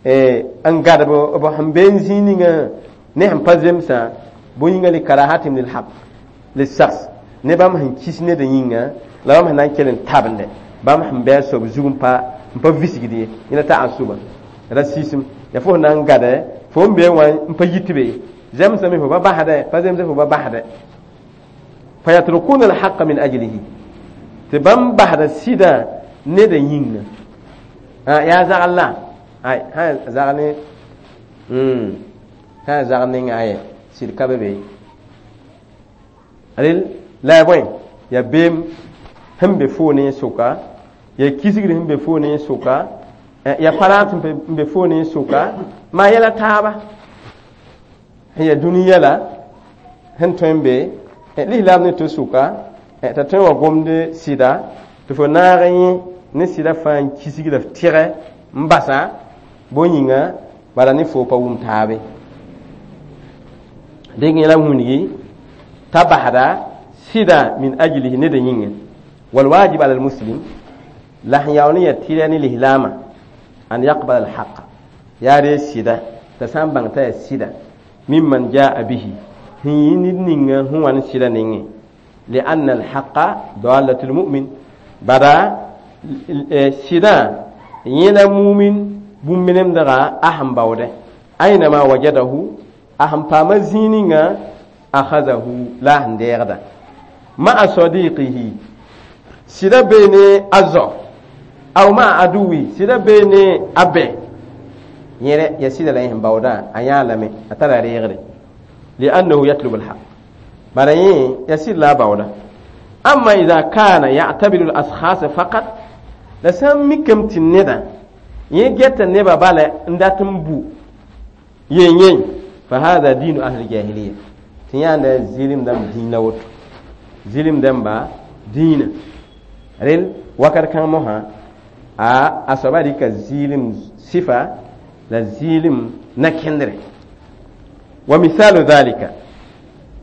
n gadb b sẽn be n zĩig ninga ne sẽn pa zemsã, bõe-yĩngã likarahatihim lilhaq lissakhs, ne bãmb sẽn kis ned yĩnga la bãmb sẽn na n kell n tabende. Bãmb sẽn bɩ a soab zug n pa visgd ye, yẽla ta'assuba racisme. Ya fo sẽn na n gade fo n bee wã n pa yit be zemsame fo ba basdɛ pa zemse fo ba basdɛ fayatrukuna alhaqa min ajlihi tɩ bãmb basda sɩdã neda yĩnga yaa zagl la ay sã zag ne sã zag ninga ayɛ sɩd ka be be rel la ya bõe ya beem sẽn be foo ne sʋka ya kisgr sẽn be foo ne sʋka ya paraat n be foo ne sʋka maa yɛla taaba sẽn ya dũni yɛla sẽn tõe n be lislaam ne to sʋka t'a tõe wa gomd sɩda tɩ fo naag yẽ ne sɩda fãa n kisgda f tɩgɛ n basa bõe yĩnga bala ne fo pa wʋm taabe dẽk yẽla wĩndgi t'a basda sɩda min ajlihi neda yĩnga walwajib ala almuslim la sẽn yaool n ya tɩrɛ ne lislaamã an yaqbal alhaqa yaa ree sɩda t'a sã n bãng t'a yaa sɩda mimman jaa bihi sẽn yɩ ned ninga sẽn wa ne sɩda nengẽ lianna alhaqa dalatu lmumin bada sɩdã yẽla mumin bũmb-nemdga a sẽn baoodɛ ainama wajadahu a sẽn paama zĩig ninga akhazahu la a sẽn deegda ma'a sadiqihi sɩda bee ne a zao aw ma'a aduwi sɩda bee ne a bɛ yẽrɛ ya sɩda la yẽ sẽn baoodã a yãa lame a tara reegre liannahu yatlubu alhaq bara yẽ ya sɩd la a baooda amma ida kana ya'tabiru al-ashkhas faqat la sã n mikame tɩ neda yẽ geta nebã bala n dat n bu yen yen fa hada dinu ahli jahiliya tɩ yãanda zɩlem dãmb dĩinã woto zɩlem dãmba dĩinã rel wakat kãng mosã a soaba rɩka zɩɩlem sɩfa la zɩɩlem na-kẽndre wa misalu dhalika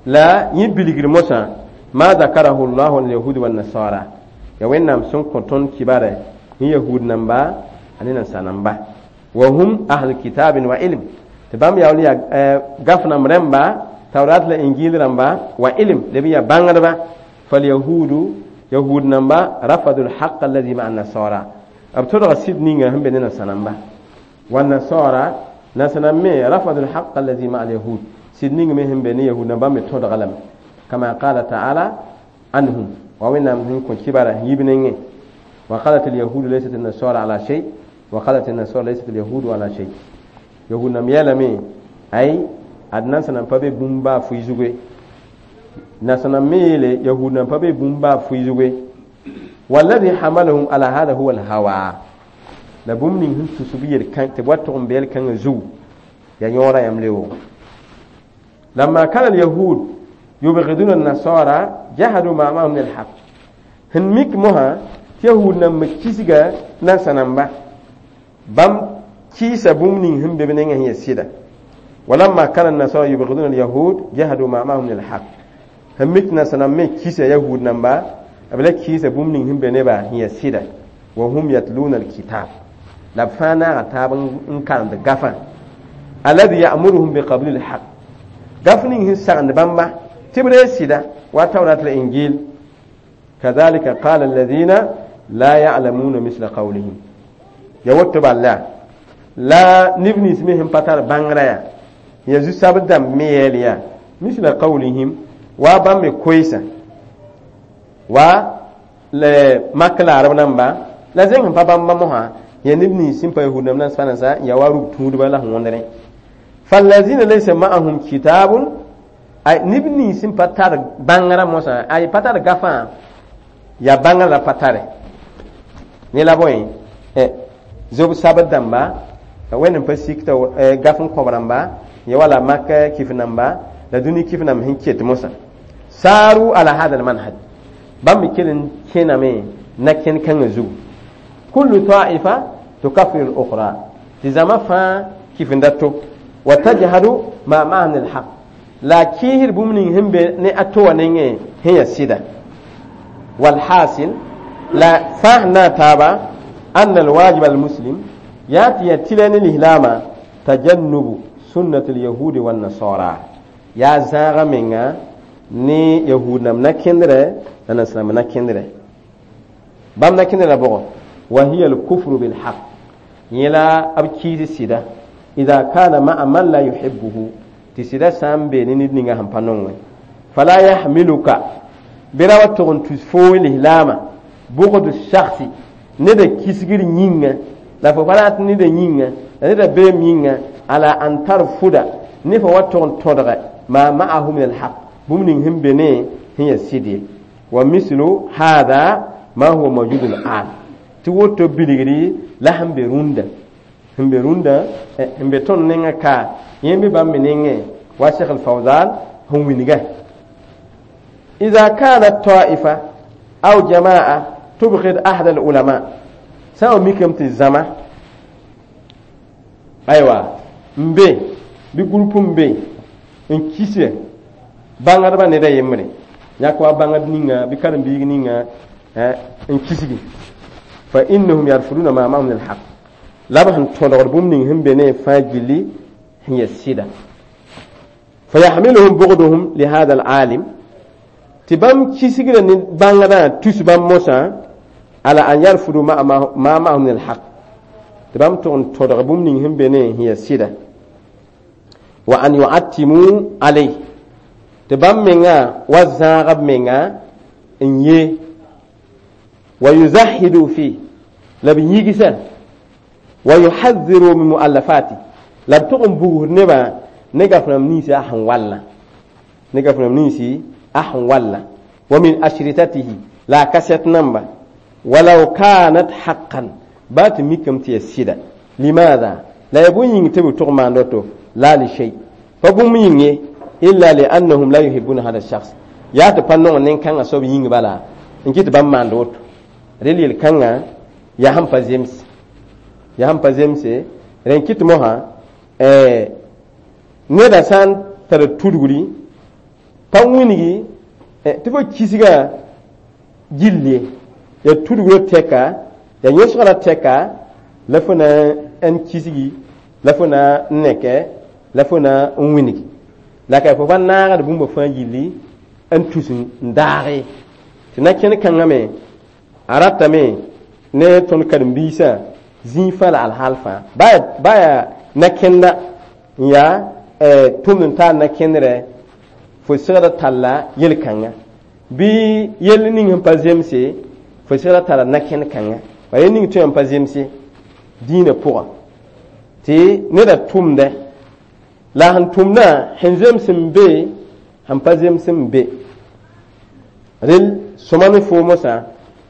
la yẽ bilgr mosã ma zakarahu llahu alyahud wannasara ya wẽnnaam sẽn kõ tõnd kibare ne yahud namba ane nansa namba wa hum ahlu kitabin wa ilm tɩ bãmb yaool yaa gaf nam rẽmba tawrat la injil rãmba wa ilm leb n yaa bãngdba falyahudu yahud namba rafadu lhaqa alladi maa nasara b todga sɩd ninga sẽn be ne nansa namba والنصارى نسنا me رفضوا الحق الذي مع اليهود sɩd ning me sẽn be ne yahud namba me tõdga lame كما قال تعالى عنهم ووينام sẽn kõ kibara yib nengẽ وقالت اليهود ليست النصارى على شيء وقالت النصارى ليست اليهود على شيء yahud nam yeelame ay ad nansã nan pa be bũmb baa fʋɩ zugu nansã nam me yeele yahud nan pa be bũmb baa fʋɩ zugu والذي حملهم على هذا هو الهوى la bũmb ning sẽn tus b yel tɩ b wa tʋg n be yel-kãngã zugu ya yõora yãmb leoog لما كان اليهود يبغضون النصارى جحدوا ما معهم من الحق sẽn mik mosã tɩ yahud nan me kisga nansã namba bãmb kɩɩsa bũmb ning sẽn be b nengã sẽn ya sɩda ولما كان النصارى يبغضون اليهود جحدوا ما معهم من الحق sẽn mik nansã nam me kisa yahud namba b la kɩɩsa bũmb ning sẽn be nebã sẽn ya sɩda وهم يتلون الكتاب la b fãa naaga taab n karemd gafã الذي يأمرهم بقبول الحق gaf ning sẽn sagend bãmba tɩ b ree sɩda wa tawrat la injil كذلك قال الذين لا يعلمون مثل قولهم ya woto bala la neb nins me sẽn pa tar bãngrã yaa ya zu-soab dãmb me yeel yaa مثل قولهم wa bãmb me koeesa wa mak la arab namba la zẽng sẽn pa bãmba mosã ya neb nins sẽn pa yahud namba nan sã ya wa rug tũudba la sẽn wõndrẽ فالذين ليس معهم كتاب ay neb nins sẽn pa tar bãngrã mosã ay pa tar gafã ya bãngrã la pa tare ne la bõe zob sabd dãmba wẽnd n pa sik t'a gaf n kõb rãmba ya wala mak kif namba la dũni kif nam sẽn ket mosã ساروا على هذا المنهج bãmb me kell n kẽname na-kẽn kãngã zugu كل طائفة تكفر الأخرى tɩ zãma fãa kifenda to وتجحد ما معها من الحق la kiisd bũmb ning sẽn be ne a to wã nengẽ sẽn yaa sɩda والحاصل la fãa sẽn na n taaba أن الواجب المسلم yaa tɩ yaa tɩlɛ ne lislaamã تجنب سنة اليهود والنصارى yaa zãaga menga ne yahud nam na-kẽndrɛ la nansãnam na-kẽndrɛ. Bãmb na kẽnda la bʋgɔ wa hiya al-kufru bil haq yẽ la b kiis sɩda idha kana ma'a man la yuhibbuhu tɩ sɩda sã n be ne ned ninga sẽn pa nongẽ fala yahmiluka bɩ ra wa tʋg n tus foo lislaamã bugdu shakhsi neda kisgr yĩnga la fo pa rat neda yĩnga la neda beem yĩnga ala an tarfuda ne fo wa tʋg n tõdge ma ma'ahu min alhaq bũmb ning sẽn be ne sẽn yaa sɩd ye wa mislu hada ma huwa mawjud al-an tɩ woto bilgri la sẽn be rũndã sẽn be rũndã sẽn be tõnd nengã ka yẽ be bãmb me nengẽ wa Sheikh al-Fawzan sẽn wilga إذا كانت طائفة أو جماعة تبغض أحد العلماء سواء ميكم تزما أيوة مبي بيقولوا مبي إن كيسة bãngdbã neda yembre yãk wa bãngd ninga bɩ karen-biig ninga n kisgi fa innahum yarfuduna ma ma'ahum min alhaq la b sẽn tõdgd bũmb ning sẽn be ne fãa gilli sẽn yaa sɩda fa yahmiluhum bugduhum lihada alalim tɩ bãmb kisgrã ne bãngdã tus bãmb mosã ala an yarfudu ma ma'ahum min alhaq tɩ bãmb tʋg n tõdg bũmb ning sẽn be ne sẽn yaa sɩda wa an yu'attimu alayh tɩ bãmb menga wa zãag b menga n ye wa yuzahidu fi la b yigsa wa yuhadhiru min muallafati la b tʋg n bugsd nebã ne gaf-rãmb ninsi a sẽn wallã ne gaf-rãmb ninsi a sẽn wallã wa min ashritatihi la a kasɛt namba walaw kanat haqqan baa tɩ mikame tɩ yaa sɩda limaada la yaa bõe yĩng tɩ b tʋg maand woto la li shay pa bũmb yĩng ye illa liannahum la yuhibbuna hada shakhs yaa tɩ pa nong nen-kãngã soab yĩng bala n kɩ tɩ bãmb maand woto rel yel-kãngã yaa sẽn pa zems yaa sẽn pa zemse rẽ n kɩt mosã neda sã n tar tudgri pa wilgi tɩ fo kisga gill ye yaa tudgrã tɛka yaa yõsgrã tɛka la fo na n kisgi la fo na n neke la fo na n wilgi la ka fo pa naagd bũmba fãa gilli n tus n daage tɩ na kẽn kãngã me a ratame ne tõnd karen-biisã zĩig fãa la alhaal fãa baa yaa na-kẽnda n yaa tʋmd n taar na-kẽndrɛ fo segda talla yel-kãngã bɩ yell ning sẽn pa zemse fo segda tara na-kẽnd kãngã bala yel ning tõe n pa zemse dĩinã pʋgã tɩ neda tʋmdɛ la sẽn tʋmdã sẽn zems n be sẽn pa zems n be rel sõma ne foo mosã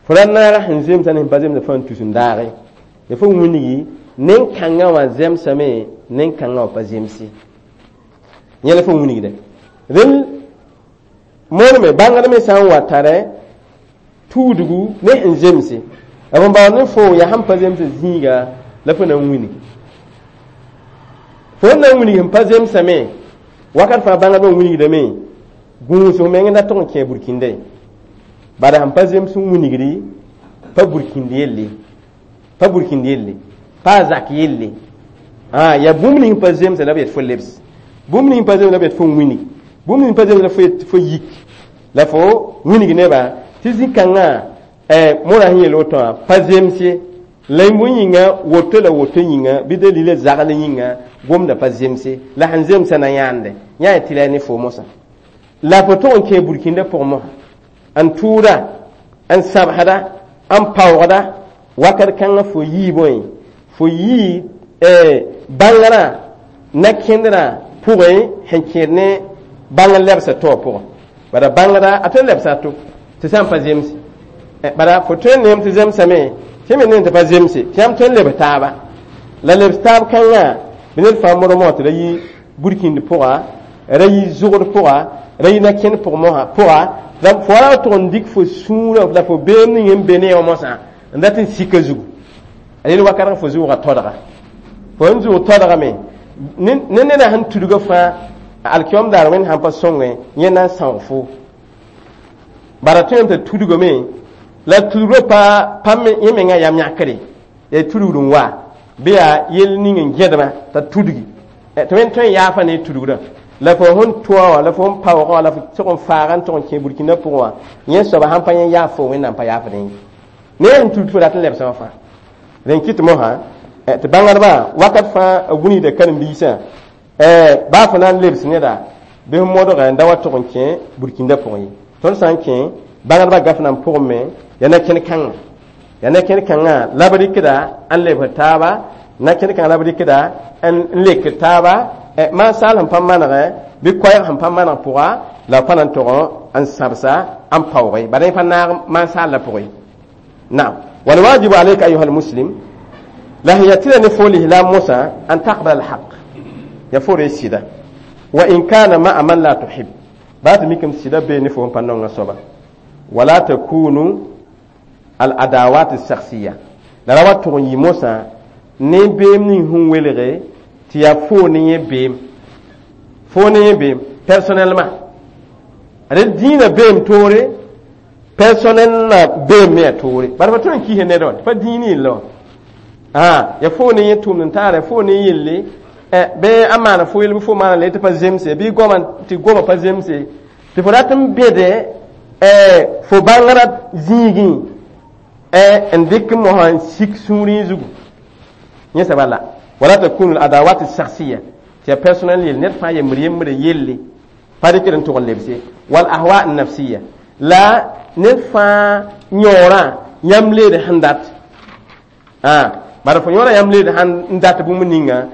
fo ra naaga sẽn zemsã ne sẽn pa zemsã fãa n tus n daage ya fo wilgi nen-kãngã wã zemsame nen-kãngã wã pa zemse yẽ la fo wilgdɛ rel mooname bãngd me sã n wa tara tuudgu ne sẽn zemse b n baood ne fo yaa sẽn pa zemsa zĩiga la fo na n wilgi fo n na n wilg sẽn pa zemsame wakat fãa bãngdbã n wilgdame gũus meng da tʋg n kẽ burkĩnda bala sẽn pa zems n wilgdi pa burkĩnd yelle pa burkĩnd yelle pa a zak yelle yaa bũmb ning pa zemsa la b yet fo lebs bũmb ning pa zemsa la b yet fo n wilg bũmb ning pa zemsa la fo yik la fo wilg nebã tɩ zĩ-kãngã mora sẽn yel woto wã pa zems ye la bõe yĩnga woto la woto yĩnga bɩ dalila zagl yĩnga gomda pa zemse la sẽn zemsã na yãande yã tɩ la ne fo mosã la fo tʋg n kẽ burkĩndã pʋgẽ mosã n tʋʋda n sãbsda n paoogda wakat kãngã fo yii bõe fo yii bãngrã na-kẽndrã pʋgẽ sẽn kẽed ne bãngr lebsã to wã pʋgẽ bala bãngrã a tõe n lebsa a to tɩ sã n pa zemse bala fo tõe n neem tɩ zemsame tɩ me neem tɩ pa zemse tɩ yãmb tõe n lebs taaba la lebs taab kãngã bɩ ned fãa modg mosã tɩ ra yi burkĩnd pʋga ra yi zʋgd pʋga ra yi na-kẽnd pʋg mosã pʋga la fo ra tʋg n dɩk fo sũurã la fo beem ning n be ne wã mosã n dat n sika zugu a yel wakat fo zʋʋga todga fo n zʋʋg todgame ne neda sẽn tudga fãa alkiom daar wẽnd sãn pa sõngẽ yẽ na n sãoog fo bara tõe tɩ tudgame la tudgrã pa pa yẽ mengã yam yãkre yaa tudgd n wa bɩ yaa yel ning n gẽdmã t'a tudgi tɩ wẽnd tõe n yaafa ne tudgrã la fo sẽn tʋa wã la fo sẽn paoogã wã la fo tʋg n faaga n tʋg n kẽ burkĩndã pʋgẽ wã yẽ soaba sãn pa yẽ yaaf fo wẽnnaam pa yaafdẽ ye Ne n tut fo dat n lebsã wã fãa. Rẽn kɩt mosã tɩ bãngdbã wakat fãa a wilgda karen-biisã baa fo na n lebs neda bɩ f modgã n da wa tʋg n kẽ burkĩndã pʋgẽ ye. Tõnd sã n kẽ bãngdbã gaf nan pʋgẽ me yaa na-kẽn kãngã, yaa na-kẽn kãngã la b rɩkda n lebs taaba, na-kẽn kãngã la b rɩkda n lekd taaba maan saal sẽn pa manegẽ bɩ koɛɛg sẽn pa maneg pʋga la b pa na n tʋg n sãbsa n paooge bara yẽ pa naag maan saal la pʋgẽ. Naam, walwajibu alayka ayuha almuslim la sẽn yaa tɩra ne fo lislaam mosã an taqbal alhaq ya fo re sɩda wa in kana ma'a man la tuhib baa tɩ mikame sɩda bee ne fo n pa nonga soaba wala takunu al adawat alshakhsiya la ra wa tʋg n yɩ mosã ne beem ning sẽn welge tɩ yaa fo ne yẽ beem, fo ne yẽ beem personnellement. Ad dĩinã beem toore, personnel beem me ya toore, bara fa tõe n kis ned wã tɩ pa dĩin yella wã ya fo ne yẽ tʋmd n taara fo ne yelle bɩ a maana fo yel bɩ fo maana le tɩ pa zemse bɩ goma tɩ goma pa zemse tɩ fo rat n bẽde fo bãngrã zĩigẽ n dɩk mosã n sik sũurẽ zugu yẽ sã bala wala takunu al-adawat al-shakhsiyya tɩ ya personnel yel ned fãa yembr yembre yelle pa dɩkd n tʋg n lebse wal ahwa an-nafsiyya la ned fãa yõorã yãmb leed sẽn dat bara fo yõorã yãmb leed sẽn dat bũmb ninga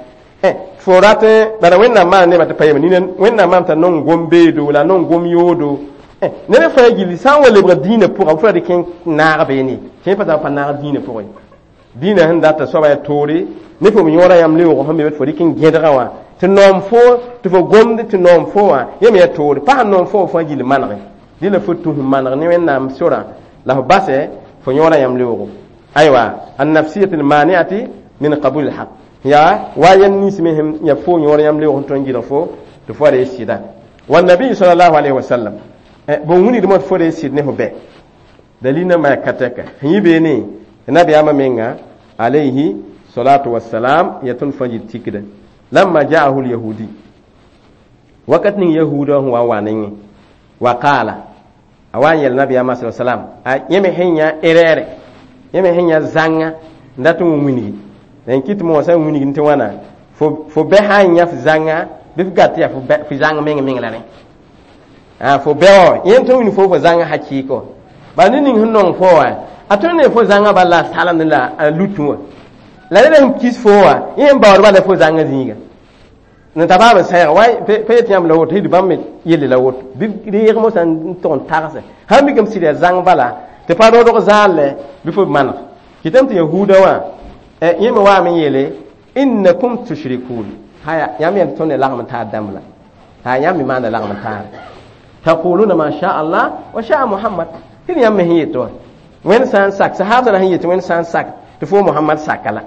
fo rat bara Wẽnnaam maan nebã tɩ pa yem nina Wẽnnaam maam t'a nong gom beedo la nong gom yoodo ned fãa gilli sã n wa lebg dĩinã pʋga fo ra dɩk n naag beene kẽ pa pa naag dĩinã pʋgẽ dĩinã sẽn data soaba yaa toore ne fo yõorã yãmb leoog sẽn be fo dɩk n gẽdgã wã tɩ noom fo tɩ fo gomd tɩ noom fo wã yẽ me yaa toore pa sẽn noom fo fãa gill manege dɩ la fo tũ sẽn maneg ne Wẽnnaam sorã la fo basɛ fo yõorã yãmb leoogo aywa annafsiyat almaniati min qabul alhaq ya wa yan nins me sẽn ya fo yõor yãmb leoog sẽn tõe n gɩlg fo tɩ fo ra sɩda. Wannabi sallallahu alaihi wasallam bõn wilgdmã tɩ fo re sɩd ne fo bɛ dalil nambã yaa ka tɛka sẽn yɩ beene tɩ nabiyaamã menga alayhi salatu wassalam ya tõnd fãa yit tikda lamma jaahu lyahudi wakat ning yahuda sẽn wa n wa ne yẽ wa qaala a wa n yɛl nabiyaamã sa salam a yẽ me sẽn yã erɛɛrɛ yẽ me sẽn yã zãnga n dat n wilgi n kɩt moosã n wilgd tɩ wãna fo bɛ sã n yã f zãnga bɩ f gat yaa fo zãng meng meng la rẽ fo bɛ wã yẽ tõe n wilg fo fo zãnga hakɩɩkɔ bala ned ning sẽn nong fo wã a tõe ne fo zãnga bala la a salemd la a lutẽ wã la ned sẽn kis fo wã yẽ sẽn baood bala fo zãnga zĩiga n ta baab n sãeega wa pa yet yãmb la woto d bãmb me yelle la woto bɩ reeg mosã n tʋg n tagse sãn mikame sɩd yaa zãng bala tɩ pa rodg zaal lɛ bɩ fo maneg kɩtame tɩ yahuudã wã yẽ me waame n yeele innakum tushrikun haya yãmb yãmb tõnd ne lagm n taar dãmb la ha yãmb me maanda lagm n taare taquluna ma sha Allah wa sha Muhammad tɩ yãmb me sẽn yet wã Wẽnd sã n sak sahaabsã la sẽn yet Wẽnd sã n sak tɩ fo Muhammad saka la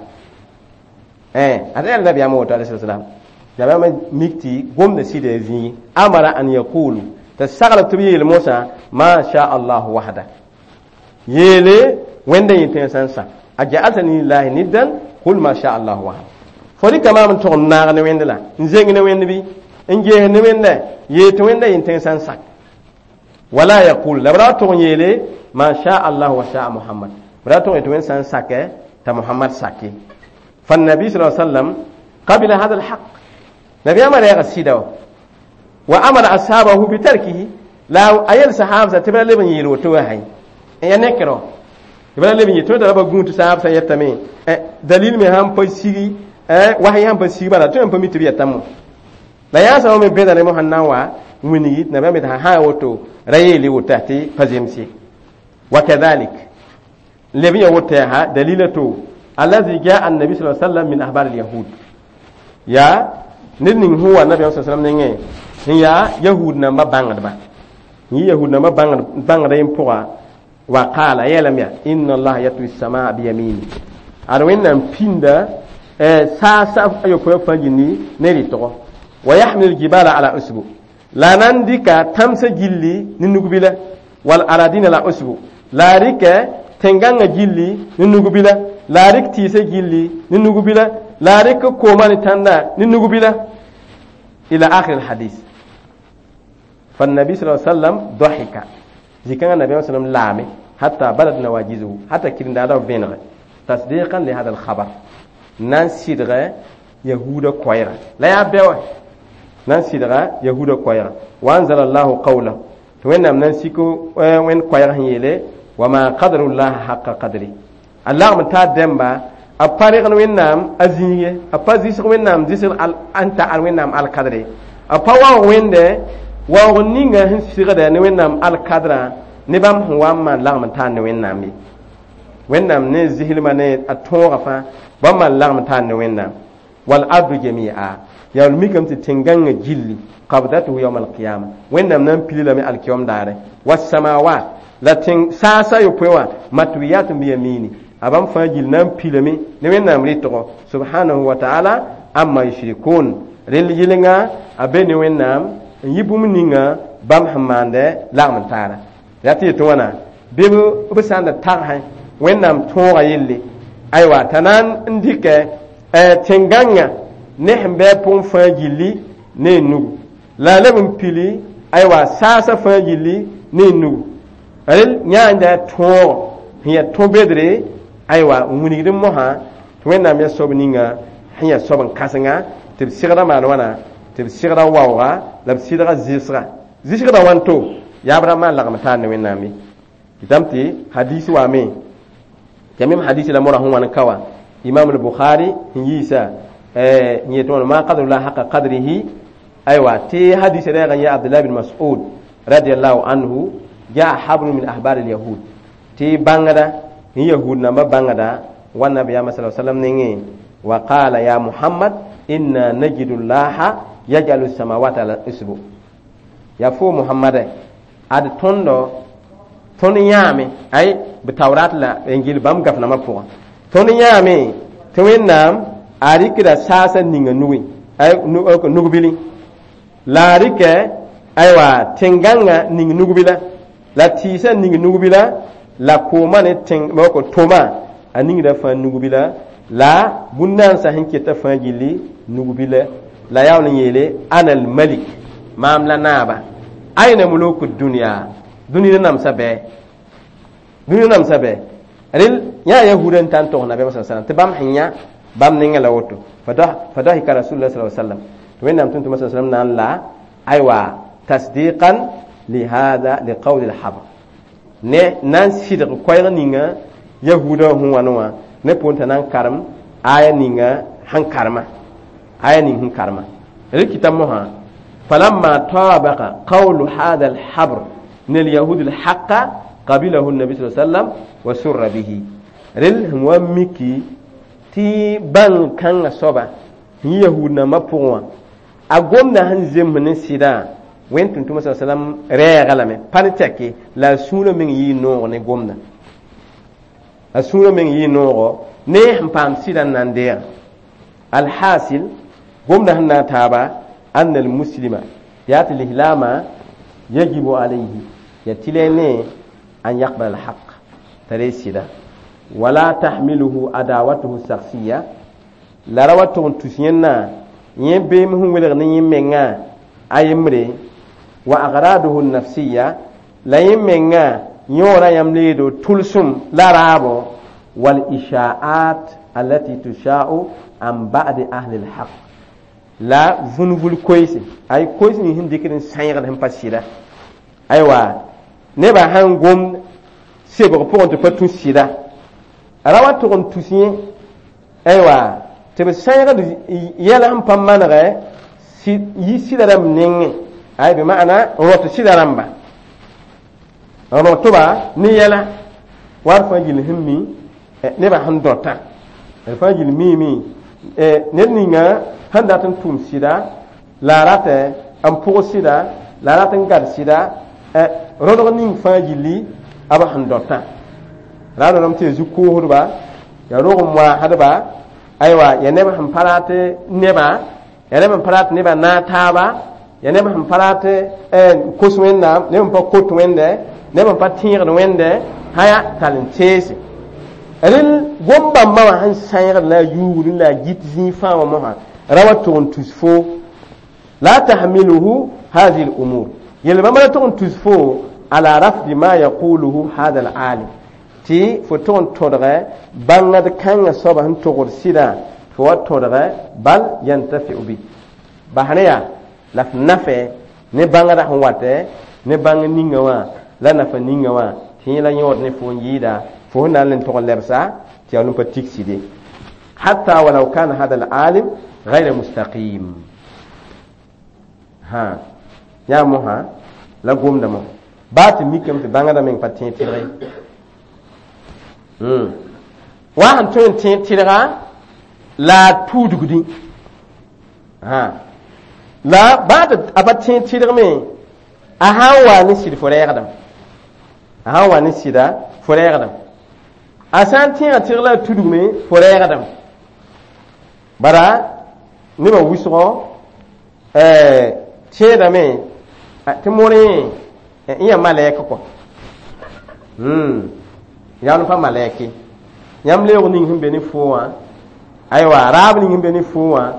ad yɛl nabiyaamã woto alayhi salam nabiyaamã mik tɩ gomda sɩda zĩigi amara an yaqulu tɩ sagl tɩ b yeel mosã ma sha Allah wahda yeele Wẽnda yẽ tẽn sã n sak a ja'altani lillahi niddan qul ma sha Allah wahda fo rɩka maam n tʋg n naag ne Wẽnd la n zeng ne Wẽnd bɩ n ges ne Wẽnda yeel tɩ Wẽnda yẽ tẽn sã n sak wala yaqul la b ra tʋg n yeele ma sha Allah wa sha Muhammad b ra tʋg n tɩ Wẽnd sã n sakɛ t'a Muhammad sake. فالنبي صلى الله عليه وسلم قبل هذا الحق نبي أمر يا سيدو وأمر أصحابه بتركه لا أيل صحابة تبلا لبن يلو توهي يا نكرو تبلا لبن يتو تبلا غونت صحابة يتمي دليل me ham pa sigi wahi ham pa sigi bala to pa mi tibi yatamu la ya sa me beda ne mo hanna wa wini na ba me ta ha woto rayeli wota ti pazemsi wa kadhalik lebi ya wota ha dalilatu alladhi jaa an-nabi sallallahu alaihi wasallam min ahbar al-yahud ya ned ning sẽn wa nabiyaam sa sallam nengẽ sẽn yaa yahud nambã bãngdba yẽ yahud nambã bãngda yẽ pʋga wa qaala yeelame yaa inna allaha yatwi samaa biyamini ad Wẽnnaam pĩnda saasa ayopɔe fãa gilli ne rɩtgo wa yahmil jibala ala usbu la nan dɩka tãmsã gilli ne nugbila wal aradina la usbu la a rɩkɛ tẽn-gãngã gilli ne nugbila la a rɩk tɩɩsã gilli ne nugbila la a rɩk koomã ne tãndã ne nugbila ila akhir alhadis. فالنبي صلى الله عليه وسلم ضحك zikãngã nabiyaam sallam laame. Hatta badat nawajizuhu, hatta kirindada b vẽnege tasdiqan li hada alkhabar, na n sɩdgɛ yahuda koɛɛga la yaa bɛwɛ na n sɩdga yahuda koɛɛga. Wa anzala allahu qawlahu, tɩ Wẽnnaam na n sik wẽnd koɛɛg sẽn yeele: wama qadrullaha haqa qadri. A lagm t'a dẽmba a pa regd Wẽnnaam a zĩige, a pa zɩsg Wẽnnaam zɩsg n ta al Wẽnnaam alkadre, a pa waoog Wẽnde waoog ninga sẽn sɩgdɛ ne Wẽnnaam alkadrã ne bãmb sẽn wa n maan lagm n taar ne Wẽnnaam ye. Wẽnnaam ne zɩslmã ne a tõogã fãa bãmb maan lagm n taar ne Wẽnnaam. Wal ardu jamia, yaa mikame tɩ tẽn-gãngã gilli, qabdatuhu yawm alqiyama, Wẽnnaam na n pili lame alkiyom daare. Wasamawat, la tẽng saasa yopoe wã, matwiyatun biyamini, a bãmb fãa gill na n pilame ne Wẽnnaam rɩtgo, subhanahu wa ta'ala amma yushrikun. Rel yɩlenga a be ne Wẽnnaam n yɩ bũmb ninga bãmb sẽn maandɛ lagm n taara. Ya tɩ yetɩ wãna bɩ b sã n da tagsẽ Wẽnnaam tõoga yelle, aywa, t'a na n dɩkɛ tẽn-gãngã ne sẽn bɩ a pʋgẽ fãa gilli ne nugu, la a leb n pili, aywa, saasã fãa gilli ne nugu. Rel yãanda tõog sẽn yaa tõ-bedre, aywa, n wilgd mosã tɩ Wẽnnaam yaa soab ninga sẽn yaa soab n kãsenga tɩ b sɩgda maan wãna, tɩ b sɩgda waooga la b sɩdga zɩsga. Zɩsgda wãnto yaab ra maan lagm taar ne Wẽnnaam ye. Kɩtame tɩ hadis waame tɩ mem hadisi la mora sẽn wãn ka wã, Imam al-Bukhari sẽn yiisa n yetɩ wãna: ma qadrullah haqa qadrihi. Aywa, tɩ hadis rɛɛg n yaa Abdullah bin Mas'ud radiallahu anhu: jaa habrun min ahbar al-yahud, tɩ bãngda n yahud namba bãngda wa nabiyama sa sallam nengẽ, wa qala: ya Muhammad, inna najidu llaha yajalu samawati ala isbu. Ya fo Muhammad, ad tõndo tõnd yãame ay b Taurat la Injil bãmb gaf-nambã pʋgã, tõnd yãame tɩ Wẽnnaam a rɩkda saasã ninga nugẽ, ay nugbili la a rɩkɛ, aywa, tẽn-gãngã ning nugbila, la tɩɩsã ning nugbila, la koomã ne tẽng toma a ningda fãa nugbila, la bũn-nansã sẽn keta fãa gilli nugbila. La yaool n yeele: ana almalik, maam la naaba, aina muluku dunya, dũni namsa bɩ, dũni namsa bɩ. Rel yã yahuda n ta n tog nabiyaam sa sallam tɩ bãmb sẽn yã bãmb ninga la woto. Fadahika rasulullah sallallahu alaihi wasallam, tɩ Wẽnnaam tʋm-tʋma sa sallam na n la, aywa, tasdiqan li hada li qawli alhabr, ne na n sɩdg koɛɛg ninga yahuda sẽn wãn wã ne pʋʋn t'a na n karem aya ninga sẽn karema, aya ning sẽn karema. Rel kɩta mosã: falamma tabaqa qawlu hada alhabr min alyahud alhaqa, qabilahu nabi sa sallam wa surra bihi. Rel sẽn wa miki tɩ bãng kãngã soaba sẽn yahud nambã pʋgẽ wã, a gomda sẽn zems ne sɩdã, Wẽnd tʋm-tʋmã sa sallam rɛɛga lame pa ne tɛke la a sũurã meng yɩɩ noog ne gomda, a sũurã meng yɩɩ noogo ne sẽn paam sɩdã n na n deega. Alhasil, gomda sẽn na n taaba: anna almuslima, yaa tɩ lislaamã, yajibu alayhi, ya tɩlɛ ne an yaqbal alhaq, t'a ree sɩda, wala tahmiluhu adawatuhu shakhsiya, la ra wa tʋg n tus yẽnna yẽ beem sẽn welg ne yẽ mengã a yembre, wa agraduhu nafsiya, la yẽ mengã yõora yãmb leedo tʋlsem la raabo, wal isha'at allati tusha'u an ba'di ahli alhaq, la vũnvul koeese, ay koees ning sẽn dɩkd n sãeegd sẽn pa sɩda. Aywa, nebã sãn gom sebg pʋgẽ tɩ pa tũ sɩda, ra wa tʋg n tus yẽ, aywa, tɩ b sãeegd yɛl sẽn pa manegɛ yi sɩda rãmb nengẽ, ay bɩ maana n rõt sɩda rãmba, n rõtba ne yɛla war fãa gill sẽn mi nebã sẽn dõtã d fãa gill miime ned ninga sẽn dat n tʋʋm sɩda la a ratɛ n pʋg sɩda, la a rat n gad sɩda rõdg ning fãa gilli a b sẽn dõtã ra rõdm tɩ ya zu-koosdba, ya rog n moaasdba, aywa, ya neb sẽn pa rat nebã, ya neb sẽn pa rat nebã naag taaba, ya neb sẽn pa rat kos Wẽnnaam, neb sẽn pa kot Wẽnde, neb sẽn pa tẽegd Wẽnde haya tall n teese. Rel gom-bãmbã wã sẽn sãeegd la a yuugd la a git zĩig fãa wã mosã ra wa tʋg n tus fo. La tahmiluhu hadihi l-umur, yel bãmb ra tʋg n tus fo. Ala rafdi ma yaquluhu hada al-alim, tɩ fo tog n tõdgɛ bãngd kãngã soaba sẽn togd sɩdã, fo wa tõdgɛ bal yantafiu bi basne yaa la f nafɛ ne bãngdã sẽn watɛ ne bãng ninga wã la nafa ninga wã tɩ yẽ la yõod ne fo n yɩɩda fo sẽn na n le tog n lebsa tɩ yaa pa tik sɩde hatta walau kana hada al-alim غير mustaqim ha yaa mosã la gomda mo baa tɩ mikame tɩ bãngdã meng pa tẽeg tɩlg wa sẽn tõe n tẽeg tɩlga la a tuudgdẽ la baa tɩ a pa tẽeg tɩlg me a sã n wa ne sɩd fo rɛɛgdame, a sã n wa ne sɩda fo rɛɛgdame, a sã n tẽega tɩlg la a tudgme fo rɛɛgdame. Bara nebã wʋsgɔ tẽedame tɩ morẽ n yaa malɛk kɔ yaa pa malɛke yãmb leoog ning sẽn be ne foo wã, aywa raab ning sẽn be ne foo wã,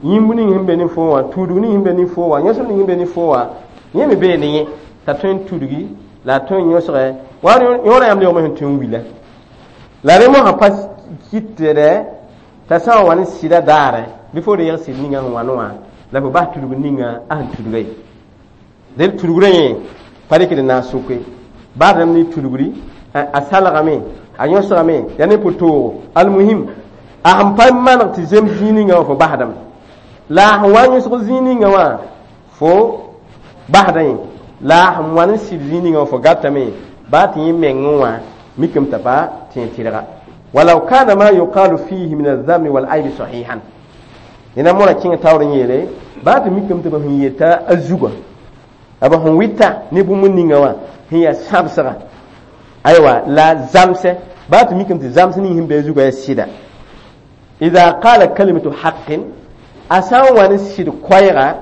yĩmb ning sẽn be ne foo wã, tuudg ning sẽn be ne foo wã, yõsem ning sẽn be ne foo wã, yẽ me bee ne yẽ t'a tõe n tudgi la a tõe n yõsgɛ wa yõorã yãmb leoogme sẽn tõe n wila la rẽ mosã pa kɩtdɛ t'a sã n wa ne sɩda daarɛ bɩ fo reeg sɩd ninga sẽn wa ne wã la fo bas tudg ninga a sẽn tudga ye del tudgrã yẽ pa rɩkd n na n soke baa rãmb ne tudgri a salgame a yõsgame yaa ne pʋ-toogo almuhim a sẽn pa maneg tɩ zems zĩig ninga wã fo basdame la a sẽn wa n yõsg zĩig ninga wã fo basda yẽ la a sẽn wa n sɩd zĩig ninga wã fo gatame baa tɩ yẽ mengẽ wã mikame t'a pa tẽeg tɩlga walau kana ma yuqalu fihi min aldhammi walaybi sahihan nena mora kẽng taoor n yeele baa tɩ mikame tɩ b sẽn yeta a zugã a b sẽn wɩta ne bũmb ninga wã sẽn yaa sãbsga aywa la zamsɛ baa tɩ mikame tɩ zams ning sẽn be a zugã yaa sɩda ida qala kalimatu haqqin a sã n wa ne sɩd koɛɛga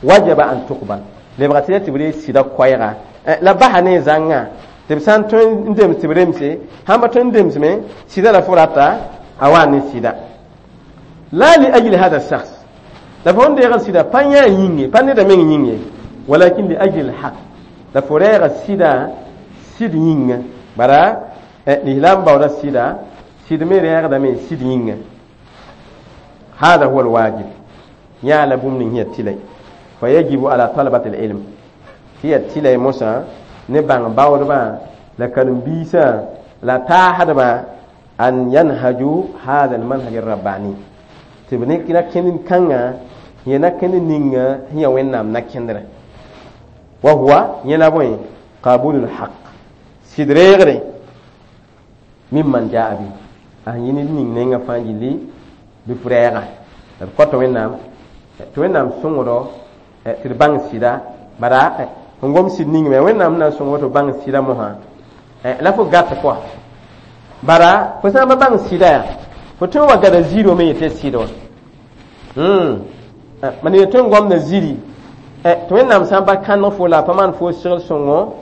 wajaba an tuqbal lebga tɩ ya tɩ b reeg sɩda koɛɛga la basa ne zãngã tɩ b sã n tõe n dems tɩ b remse sãn pa tõe n demsme sɩda la fo rata a wa ne sɩda la li ajli hada shakhs la fo n deegd sɩda pa yã yĩnge pa neda meng yĩnge walakin li ajli lhaq la fo reega sɩda sɩd yĩnga bara lislaam baooda sɩda sɩd me reegdame sɩd yĩnga hada huwa alwajib yã la bũmb ning sẽn yaa tɩlɛ fa yajibu ala talabat alilm tɩ yaa tɩlɛ mosã ne bãng baoodbã la karen-biisã la taasdbã an yanhaju hada almanhaj arrabbani tɩ b ne na-kẽnd kãngã yẽ na-kẽnd ninga sẽn yaa Wẽnnaam na-kẽndrã wa huwa yẽ la bõe qabulu lhaq sɩd reegre mimman jaa bi a sẽn yɩ ned ning nengã fãa gilli bɩ f rɛɛga la d kõta Wẽnnaam tɩ Wẽnnaam sõngdɔ tɩ d bãng sɩda bara fõn gom sɩd ning me Wẽnnaam na n sõng tɩ bãng sɩda mosã la fo gat kɔa bara fo sã n pa bãng sɩda yaa fo tõe n wa gada ziirã me yetɩ sɩd wã mam yetɩ n gomda ziri tɩ Wẽnnaam sã n pa kãneg fo la a pa maan fo segl sõngo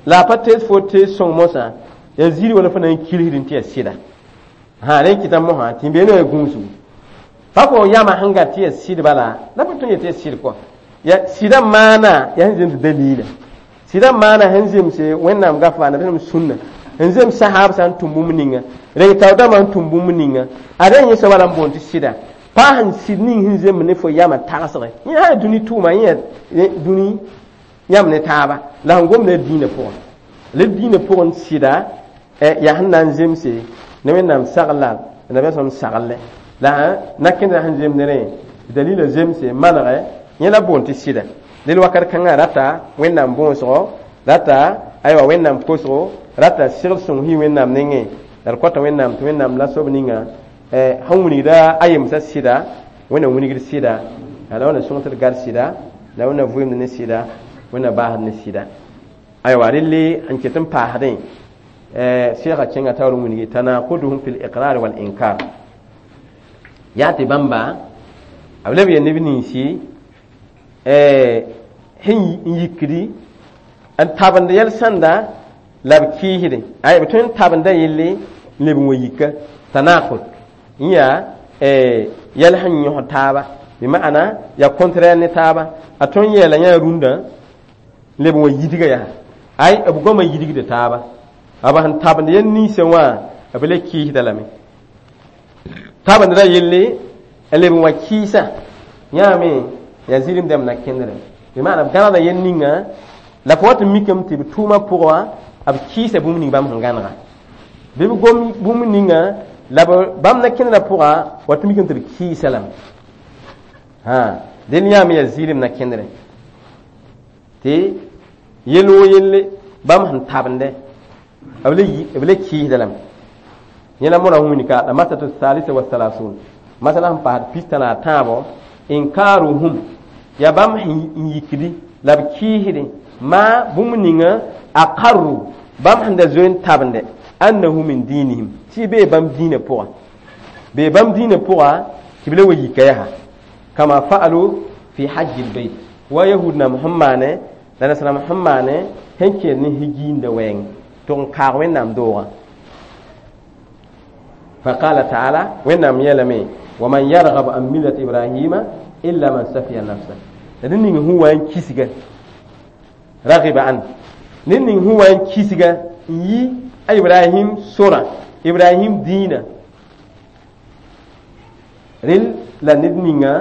la a pa tees fo tees sõng mosã yaa ziri wala fo na n kilsd n tɩ yaa sɩda sã rẽ kɩta mosã tɩ beene yaa gũusgu pa fo yãma sẽn gat tɩ yaa sɩd bala la fo tõe n yetɩ yaa sɩd kɔa ya sɩda maana yaa sẽn zems dalila sɩda maana sẽn zemse Wẽnnaam gafa nabiyaam sũnna n zems sahab sã n tʋm bũmb ninga reng tao dãmbã n tʋm bũmb ninga a rẽ yẽ soaba la n boond tɩ sɩda pa sẽn sɩd ning sẽn zemb ne fo yamã tagsge yẽ sã dũni tʋʋma yẽ yaa dũni yãmb ne taaba la sẽn gomda dĩinã pʋgẽ la dĩinã pʋgẽ sɩda yaa sẽn na n zemse ne Wẽnnaam sagl la nabiyaam sagl la na-kẽndrã sẽn zemd ne rẽ dalila zemse manegɛ yẽ la boond tɩ sɩda del wakat kãngã rata Wẽnnaam bõosgo rata aywa Wẽnnaam kosgo rata segl sõng sɩ Wẽnnaam nengẽ la d kõta Wẽnnaam tɩ Wẽnnaam la soab ninga sẽn wilgda a yemsã sɩda Wẽnnaam wilgd sɩda la Wẽnnaam sõng tɩ d gad sɩda la Wẽnnaam vʋʋmd ne sɩda Wẽnnaam baasd ne sɩda aywa relle n ket n paasdẽ seega kẽnga taoor n wilgi tanaquduhum fi liqrar wal inkar yaa tɩ bãmba b leb yaa neb ninsi sẽn yikdi n tabend yɛl sãnda la b kɩɩsdẽ ay b tõe n tabenda yelle n leb n wa yika tanaqud n yaa yɛl sẽn yõsd taaba bɩ ma'ana yaa contraire ne taaba a tõe n yeela yã rũndã n leb n wa yidga yaa Ay, b goamã yidgda taaba. B sẽn tabend yel ninsã wã, b le kɩɩsda lame. Tabendra yelle n leb n wa kɩɩsa yãame yaa zɩlem dãmb na kẽndre. Bɩ maana b gãnegda yel ninga la fo wat n mikame tɩ b tʋʋmã pʋgã wã b kɩɩsa bũmb ning bãmb sẽn gãnega. Bɩ b gom bũmb ninga la bãmb na kẽndrã pʋga wat n mikame tɩ b kɩɩsa lame. Ha, dẽnd yãame yaa zɩlem na kẽndre. Tɩ yel woo yelle bãmb sẽn tabende b le kɩɩsda lame. Yẽ la mora wĩnika la masatu salisa wa salasun masala sẽn paasd pista la a tãabo inkaruhum yaa bãmb sẽn yikdi la b kɩɩsde maa bũmb ninga aqarru bãmb sẽn da zoe n tabende annahu min dinihim tɩ bee bãmb dĩinã pʋga bee bãmb dĩinã pʋga tɩ b le wa yika yaa kama fa'alu fi hajji lbeit wa yahud nam sẽn maane la nasram sẽn maane sẽn kẽed ne higiinda wɛɛng tɩ n kaag Wẽnnaam doogã. فقال تعالى وإنهم يلمي ومن يرغب عن ملة إبراهيم إلا من سفي نفسه. لأن هو أن كيسجا رغب عنه. لأن هو أن كيسجا يي إبراهيم سورة إبراهيم دينا ريل لا ندنينا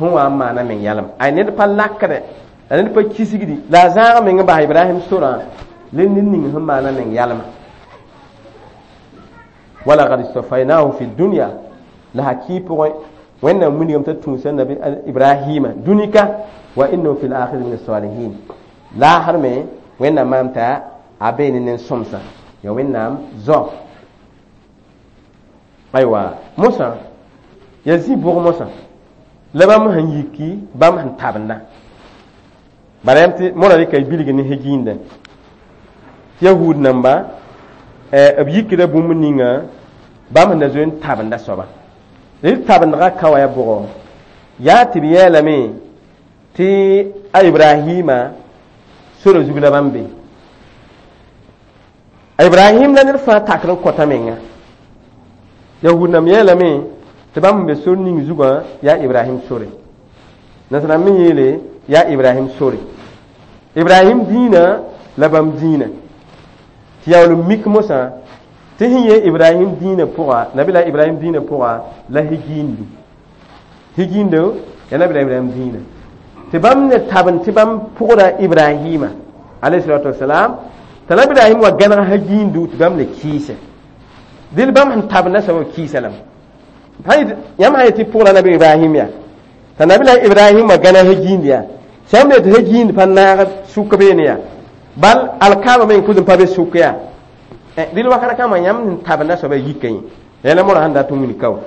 هو ما أنا من يعلم أي ند باللاكرة ند بالكيسجدي لا زار من به إبراهيم سورة لأن هو ما أنا من يعلم. ولقد اصطفيناه في الدنيا لها كيب وإن من يوم تتونس النبي إبراهيم دنيا وإنه في الآخرة من الصالحين لا حرمه وإن ما أنت أبين نسمسا يا وإن زو أيوة موسى يزيد بوغ موسى لبام هنيكي بام هنتابنا برامتي مولا لك يبيلغ نهجين ده يهود نمبا b yikda bũmb ninga bãmb sẽn da zoe n tabenda soaba d tabendgã ka wa yaa bʋgɔ yaa tɩ b yeelame tɩ a Ibrahima sora zug la bãmb be a Ibrahim la ned fãa takr n kõta menga yahud nãmb yeelame tɩ bãmb sẽn be sor ning zugã yaa Ibrahim sore nasrãmb me yeele yaa Ibrahim sore Ibrahim dĩinã la bãmb dĩinã tɩ yaool n mik mosã tɩ sẽn yee Ibrahim dĩinã pʋga nabila Ibrahim dĩinã pʋga la higiindu higiindo yaa nabila Ibrahim dĩinã tɩ bãmb ne tabend tɩ bãmb pʋgda Ibrahima alayhi salatu wasalam t'a nabi Ibrahim wa gãneg hagiindu tɩ bãmb le kɩɩse dɩl bãmb sẽn tabenda soab kɩɩsa lame yãmb sã yetɩ pʋgda nabi Ibrahim yaa t'a nabila Ibrahim wa gãneg hagiind yaa sãmb le tɩ hagiind pa naag sʋk beene yaa bal alkaaba me n kʋz n pa be sʋk yaa dɩl wakata kãma yãmb sẽn tabenda soaba yika yẽ yãla mora sẽn dat n wilg ka wa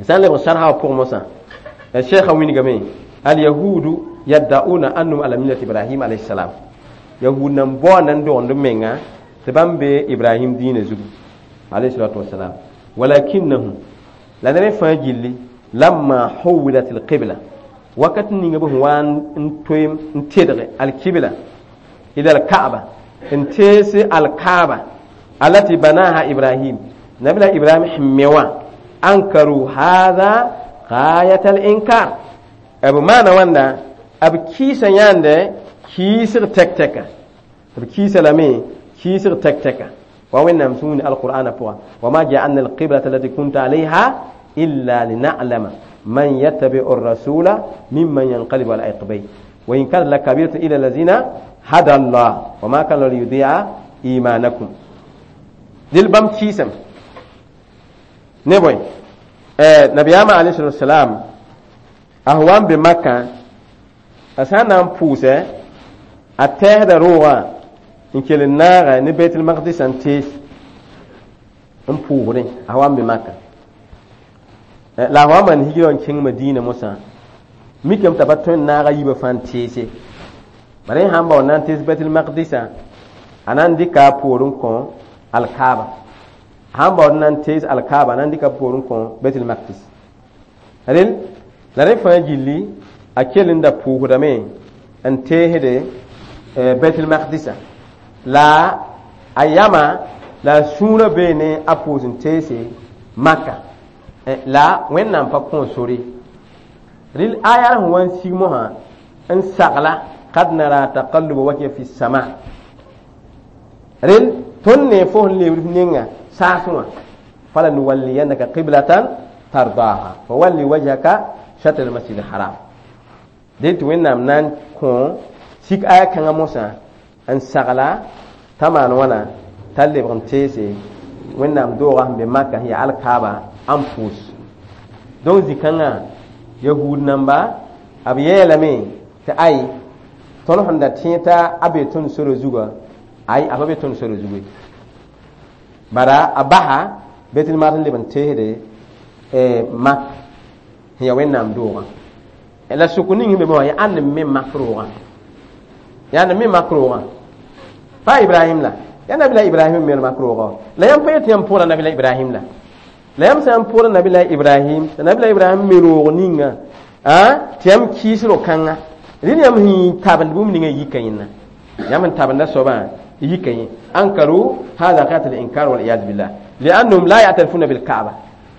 sã n lebg sarsa wã pʋgẽ mosã la sheekha wilgame alyahudu yaddauna annahum ala millati Ibrahim alayhi salam yahud nan bao nan dogend b menga tɩ bãmb be Ibrahim dĩinã zugu alayhi salatu wasalam walakinnahum la ned fãa gilli lamma huwilat alqibla wakat ninga b sẽn wa n toem n tedge alkibla إلى الكعبة انتيس الكعبة التي بناها إبراهيم نبي إبراهيم حميوا أنكروا هذا غاية الإنكار أبو ما نوانا أبو كيسا ياند كيسر تك تك أبو كيسا لمي كيسر تك تك ووين نمسون القرآن فوا وما جعلنا القبلة التي كنت عليها إلا لنعلم من يتبع الرسول ممن ينقلب على عقبيه وإن كان لكبيرة إلى الذين هدى الله وما كان ليضيع إيمانكم دل بام كيسم نبوي نبي عليه الصلاة والسلام أهوان بمكة أسانا بوسة أتهد روغا إن كل النار نبيت المقدس أنتيس أمبوري أهوان بمكة لا هو من هجرون كين مدينة موسى ميكم تبتون نار يبفان تيسي bare sãn bao na n tees Baitul Maqdisã a na n dɩka a poorẽ kõ alkaaba sãn baood na n tees alkaaba a na n dɩka a poorẽ kõ Baitul Maqdis rel la rẽ fãa gilli a kell n da pʋʋsdame n teesde Baitul Maqdisã la a yama la a sũurã beene a pʋʋs n teese Maka la Wẽnnaam pa kõ sore rel aya sẽn wa n sig mosã n sagla Qad nara taqalluba wajhika fi sama. Rel tõnd ne fo sẽn lebd f nenga saasẽ wã, falanuwalliyannaka qiblatan tardaha fawalli wajhaka shatr al-masjid al-haram. Dẽ tɩ Wẽnnaam na n kõ sik aya kãngã mosã n sagla t'a maan wãna t'a lebg n teese Wẽnnaam doogã sẽn be Maka sẽn yaa alkaaba n pʋʋs. Donc zĩ-kãngã yahuud namba b yeelame tɩ ay, tõnd sẽn da tẽ t'a a be tõnd sora zugã, ay, a pa be tõnd sora zugu ye. Bara a basa Betlmad n leb n teesde Mak sẽn yaa Wẽnnaam doogã. La sʋk ning sẽn be wã yaa ãnd n me Mak roogã, yaa ãnd n me Mak roogã? Pa Ibrahim la, yaa Nabila Ibrahim n me Mak roogã. La yãmb pa yet yãmb pʋʋra Nabila Ibrahim la? La yãmb sã n pʋʋra Nabila Ibrahim, tɩ Nabila Ibrahim me roog ninga tɩ yãmb kɩɩs ro-kãnga, rẽnd yãmb sẽn tabend bũmb ninga yika yẽnna, yãmb sẽn tabenda soabã yika yẽ. Ankaru hada ghayat al-inkar wal iyaz billah li'annahum la ya'tarifuna bil ka'ba.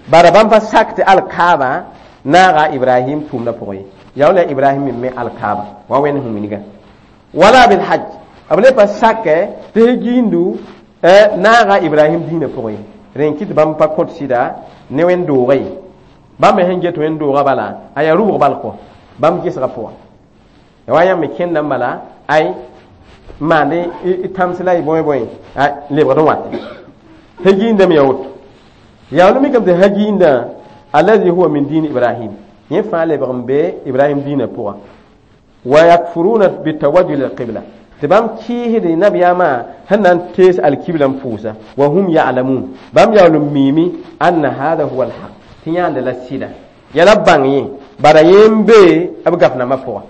Bara bãmb pa sak tɩ alkaaba naaga Ibrahim tʋʋmdã pʋgẽ ye. Yaa wala Ibrahim me me alkaaba wa wẽnd sẽn wilga, wala bil hajj, b le pa sakɛ tɩ giindu naaga Ibrahim dĩinã pʋgẽ ye. Rẽn kɩt bãmb pa kõt sɩda ne wẽnd doogã ye. Bãmb me sẽn get wẽnd doogã bala a yaa rʋbg bal kɔ bãmb gesgã pʋga. Ya wa yãmb me kẽndã n bala ay n maand y tãms la y bõe bõe lebgd n wat hagiindame ya woto. Yaa wala mikame tɩ hagiindã allazi huwa min dini Ibrahim, yẽ fãa lebg n be Ibrahim dĩinã pʋga. Wa yakfuruna bitawajjuh lilqibla, tɩ bãmb kɩɩsd nabiyaamã sẽn na n tees alkibla n pʋʋsa. Wa hum ya'lamun, bãmb yaool n miime anna hada huwa alhaq, tɩ yãanda la sɩda yaa la bãng yẽ, bara yẽ n be b gaf nambã pʋga.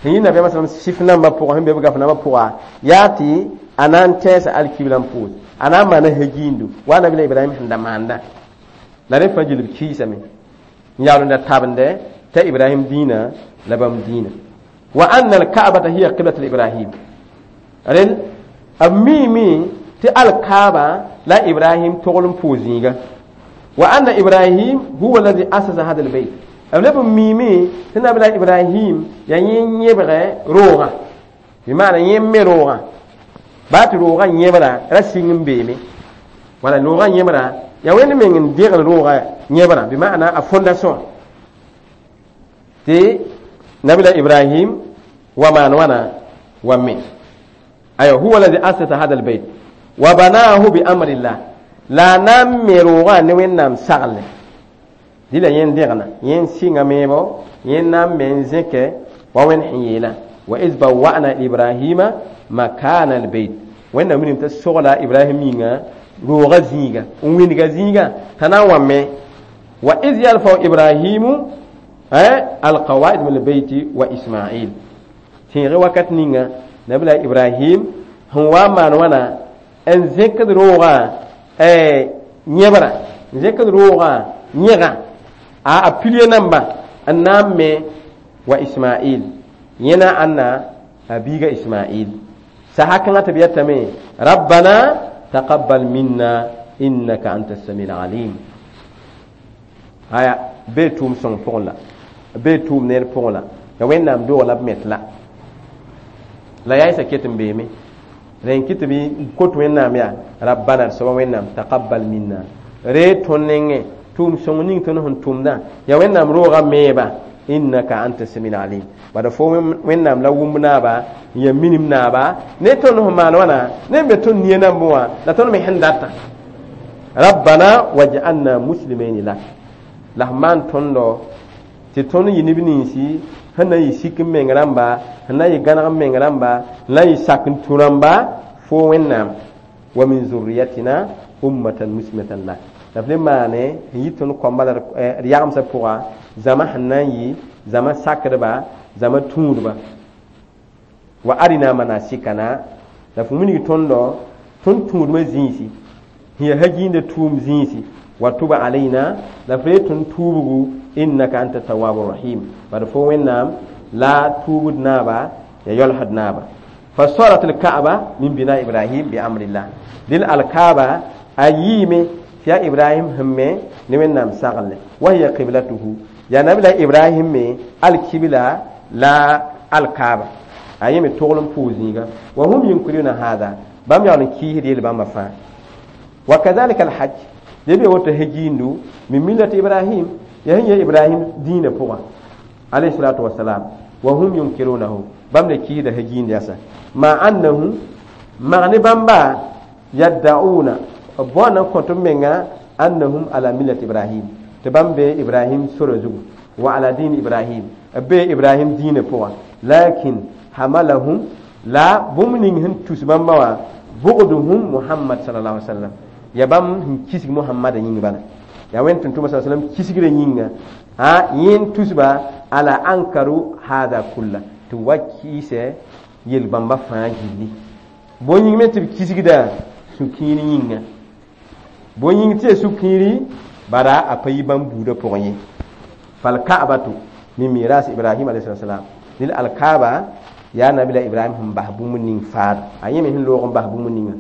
Sẽn yɩ nabiyaamã sallam sɩf nambã pʋga sẽn be b gaf nambã pʋga yaa tɩ a na n tɛɛsa alkibla n pʋʋs, a na n maana hagiindu wa Nabila Ibrahim sẽn da maanda la. Rẽ fãa gil b kɩɩsame n yaool n da tabende t'a Ibrahim dĩinã la bãmb dĩinã. Wa anna alka'bata hiya qiblat Ibrahim, rẽnd b miime tɩ alkaaba la Ibrahim togl n pʋʋs zĩiga. Wa anna Ibrahim huwa alladhi asasa hada albayt, b leb n miime tɩ Nabila Ibrahim yaa yẽ yẽbgɛ roogã, bɩ maana yẽ me roogã baa tɩ roogã yẽbra ra sɩng n beeme wala roogã yẽbra yaa Wẽnd meng n degl roogã yẽbrã, bɩ maana a fondation tɩ Nabila Ibrahim wa maan wãna wa me. Aywa, huwa alladhi asasa hada albayt wa banahu bi amrillah, la a na n me roogã ne Wẽnnaam sagle. Dɩla yẽ n degna, yẽ n sɩnga meebo, yẽ n na n me n zẽkɛ wa Wẽnd sẽn yeelã: wa iz bawwa'na Ibrahima makana albayt. Wẽnnaam minim t'a sogla Ibrahim yĩnga roogã zĩiga n wĩndga zĩiga t'a na n wa me. Wa iz yarfau Ibrahimu alqawaid min albayti wa Ismail, tẽege wakat ninga Nabila Ibrahim sẽn wa n maan wãna n zẽkd roogã yẽbra, n zẽkd roogã yẽgã a pilie namba n na n me, wa Ismail, yẽ na ãnna a biiga Ismail. Saha kãngã tɩ b yetame: rabbana taqabbal minna innaka anta sami alim. Aya bee tʋʋm sõng pʋgẽ la bee tʋʋm neer pʋgẽ la ya Wẽnnaam doog la b met la la yaɩsa ket n beeme. Rẽn kɩ tɩ bɩ kot Wẽnnaam yaa rabbana, d soaba Wẽnnaam, taqabbal minna, ree tõnd nengẽ tʋʋm sõng ning tõnd sẽn tʋmdã, ya Wẽnnaam roogã meeba, innaka anta sami alim. Bala fo Wẽnnaam la wʋmb naaba n ya minim naaba ne tõnd sẽn maan wãna ne n be tõnd nia nambẽ wã la tõnd me sẽn data. Rabbana waj'alna muslimaini lak, la f maan tõndo tɩ tõnd yɩ neb ninsi sẽn na n yɩ sik n meng rãmba, sẽn na n yɩ gãneg n meng rãmba, sẽn na n yɩ sak n tũ rãmba fo Wẽnnaam. Wa min zurriyatina ummatan muslimatan lak, la f le maane n yɩ tõnd kõmba la d yagemsã pʋga zãma sẽn na n yɩ zãma sakdba, zãma tũudba. Wa arina manasikana, la f wilg tõndo tõnd tũudmã zĩisi sẽn yaa hagiinda tʋʋm zĩisi. Wa tuba alayna, la f ree tõnd tuubgu, innaka anta tawabu rahim. Bad fo Wẽnnaam la tuubd naaba ya yɔlsd naaba. Fa sarat alkaaba min bina Ibrahim bi amrillah, dɩl alkaaba a yiime tɩ yaa Ibrahim sẽn me ne Wẽnnaam sagle. Wa hiya qiblatuhu, yaa Nabila Ibrahim me alkibla la alkaaba. A yẽ me togl n pʋʋs zĩiga. Wa hum yunkiruna hada, bãmb yaool n kiisd yel bãmba fãa. Wa kadhalika alhajj, le be woto hejiindu min millati Ibrahim, ya sẽn yẽ Ibrahim dĩinã pʋgã alayhi salatu wasalam, wa hum yunkirunahu, bãmb le kiisda hejiind yasa. Ma annahu mag ne bãmba yaddauna, b bõona n kõt b menga annahum ala millati Ibrahim, tɩ bãmb be Ibrahim sora zugu, wa ala dĩin Ibrahim, b be Ibrahim dĩinã pʋgã. Lakin hamalahum, la bũmb ning sẽn tus bãmba wã bugduhum Muhammad sallallahu alaihi wasallam, ya bãmb sẽn kisg Muhammada yĩng bala, yaa wẽnd tʋm-tʋma sa sallam kisgrã yĩnga a yẽn tusba ala ankaru hada kulla, tɩ wa kiisɛ yel-bãmba fãa gilli. Bõe yĩng me tɩ b kisgda sũ-kiir yĩnga, bõe yĩng tɩ ya sũ-kiiri bara a pa yi bãmb buudã pʋgẽ ye. Falka'batu min miras Ibrahim alayhi salam, lil alkaaba yaa nabila Ibrahim sẽn bas bũmb ning faad, a yẽ me sẽn loog n bas bũmb ninga.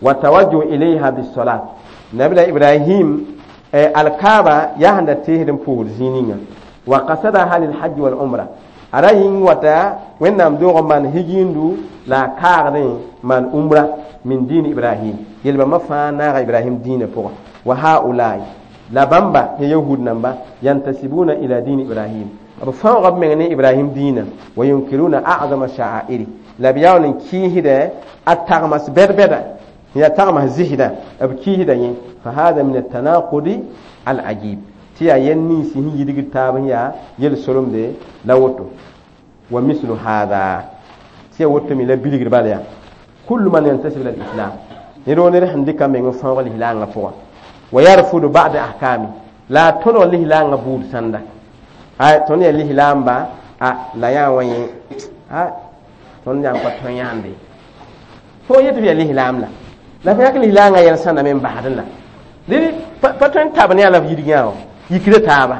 Wa tawajjuh ilayha bisolat, nabila Ibrahim alkaaba yaa sẽn da teesd n pʋʋsd zĩig ninga. Wa qasadaha lilhajj wal umra, a ra yĩng wata Wẽnnaam doog n maan higindu la a kaagdẽ maan umra min diin Ibrahim, yel-bãmbã fãa naaga Ibrahim dĩinã pʋgã. Wa haulai, la bãmba ya yahud namba yantasibuna ila diin Ibrahim, b fãooga b meng ne Ibrahim dĩinã. Wa yunkiruna a'zama sha'airi, la b yaool n kiisdɛ a tagmas bɛd-bɛda, yaa tagmas zɩsdã, b kiisda yẽ. Fa hada min atanaqudi al-ajib, tɩ yaa yɛl ninsi sẽn yidgd taab n yaa yel-solomde la woto. Wa mislu hada, tɩ yaa woto me la bilgr bala yaa kullu man yantasib ila al-islam, ned woo ned sẽn dɩka meng n fãoog lislaangã pʋgã. Wa yarfudu ba'da ahkami, la a tõdg lislaangã buud sãnda, ay tõnd yaa lislaamba a la yaa wã yẽ a tõnd yaa n pa tõe yãande fo yetɩ f yaa lislaam la f yak lislaangã yɛl sãnda me n basdẽ la dẽd pa tõe n tab ne a la f yidg yã wã yikda taaba.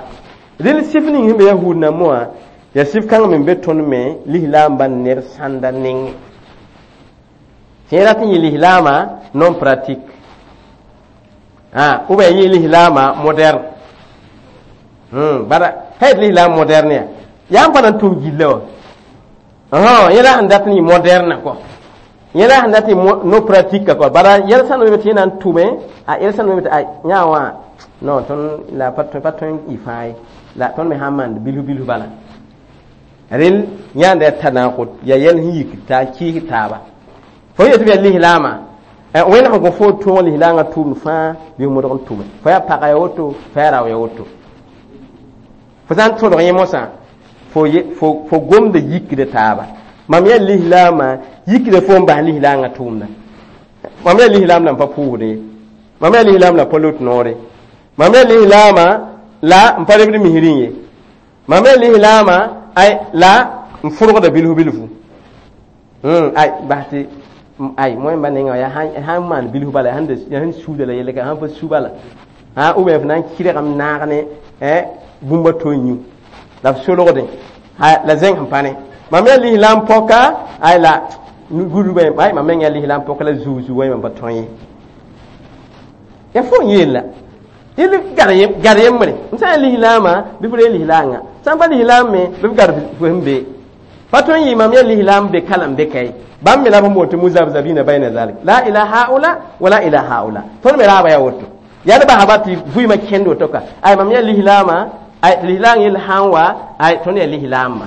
Dẽnd sɩf ning sẽn be yahuud nambã wã yaa sɩf kãng me n be tõnd me lislaamba ned sãnda nengẽ. Tɩ yẽ rat n yɩ lislaamã non pratique ou bien yɩ lislaamã moderne, bara pa yet lislaam moderne ya yaa n pa na n tʋm gilla wã, yẽ la sẽn dat n yɩ moderne kɔ, yẽ la sẽn dat n yɩ no pratique kɔ, bara yɛl sãn weme tɩ yẽ na n tʋme a yɛl sãn weme tɩ a yã wã non tõnd la pa tõe n yɩ fãa ye, la tõnd me sã n maand bilf bilf bala. Rel yãanda yaa tanaqud, yaa yɛl sẽn yik taa kiis taaba. Fo yetɩ b yaa lislaamã, wẽnd sẽn kõ fo tõog lislaangã tʋʋmd fãa bɩ modg n tʋme, fo yaa pagã ya woto, fo yaa rao ya woto, fo sã n tõdg yẽ mosã fo gomda yikda taaba. Mam yaa lislaamã yikda fo n bas lislaangã tʋʋmda, mam yaa lislaam la n pa pʋʋsde ye, mam yaa lislaam la pa lot noore, mam yaa lislaamã la n pa rebd misrẽ ye, mam yaa lislaamã ay la n fʋrgda bilfu bilfu, ay bas tɩ ay moẽmba nengã yaa sãn maan bilfu bala, yaa sẽn suuda la yelle ka sãn pa su bala, ou bien f na n kɩrgame naag ne bũmb a to n yũ la f solgdẽ la zẽng sẽn pa ne. Mam yaa lislaam pɔka ay la gudbã, ay mam meng yaa lislaam pɔka la zuu zuu wã mam pa tõe ye, yaa fo n yeel la yel gad yembre n sã n yaa lislaamã bɩ f ree lislaangã, sã n pa lislaam me bɩ f gad fo sẽn be pa tõe n yɩ mam yaa lislaam be kalam be ka ye. Bãmb me la b sẽn boond tɩ muzabzabina bayna zalik, la ila haula wala ila haula, tõnd me raaba yaa woto, yaa d basba tɩ vɩɩmã kẽnd woto ka ay mam yaa lislaamã, ay lislaang yell sã n wa ay tõnd yaa lislaamba,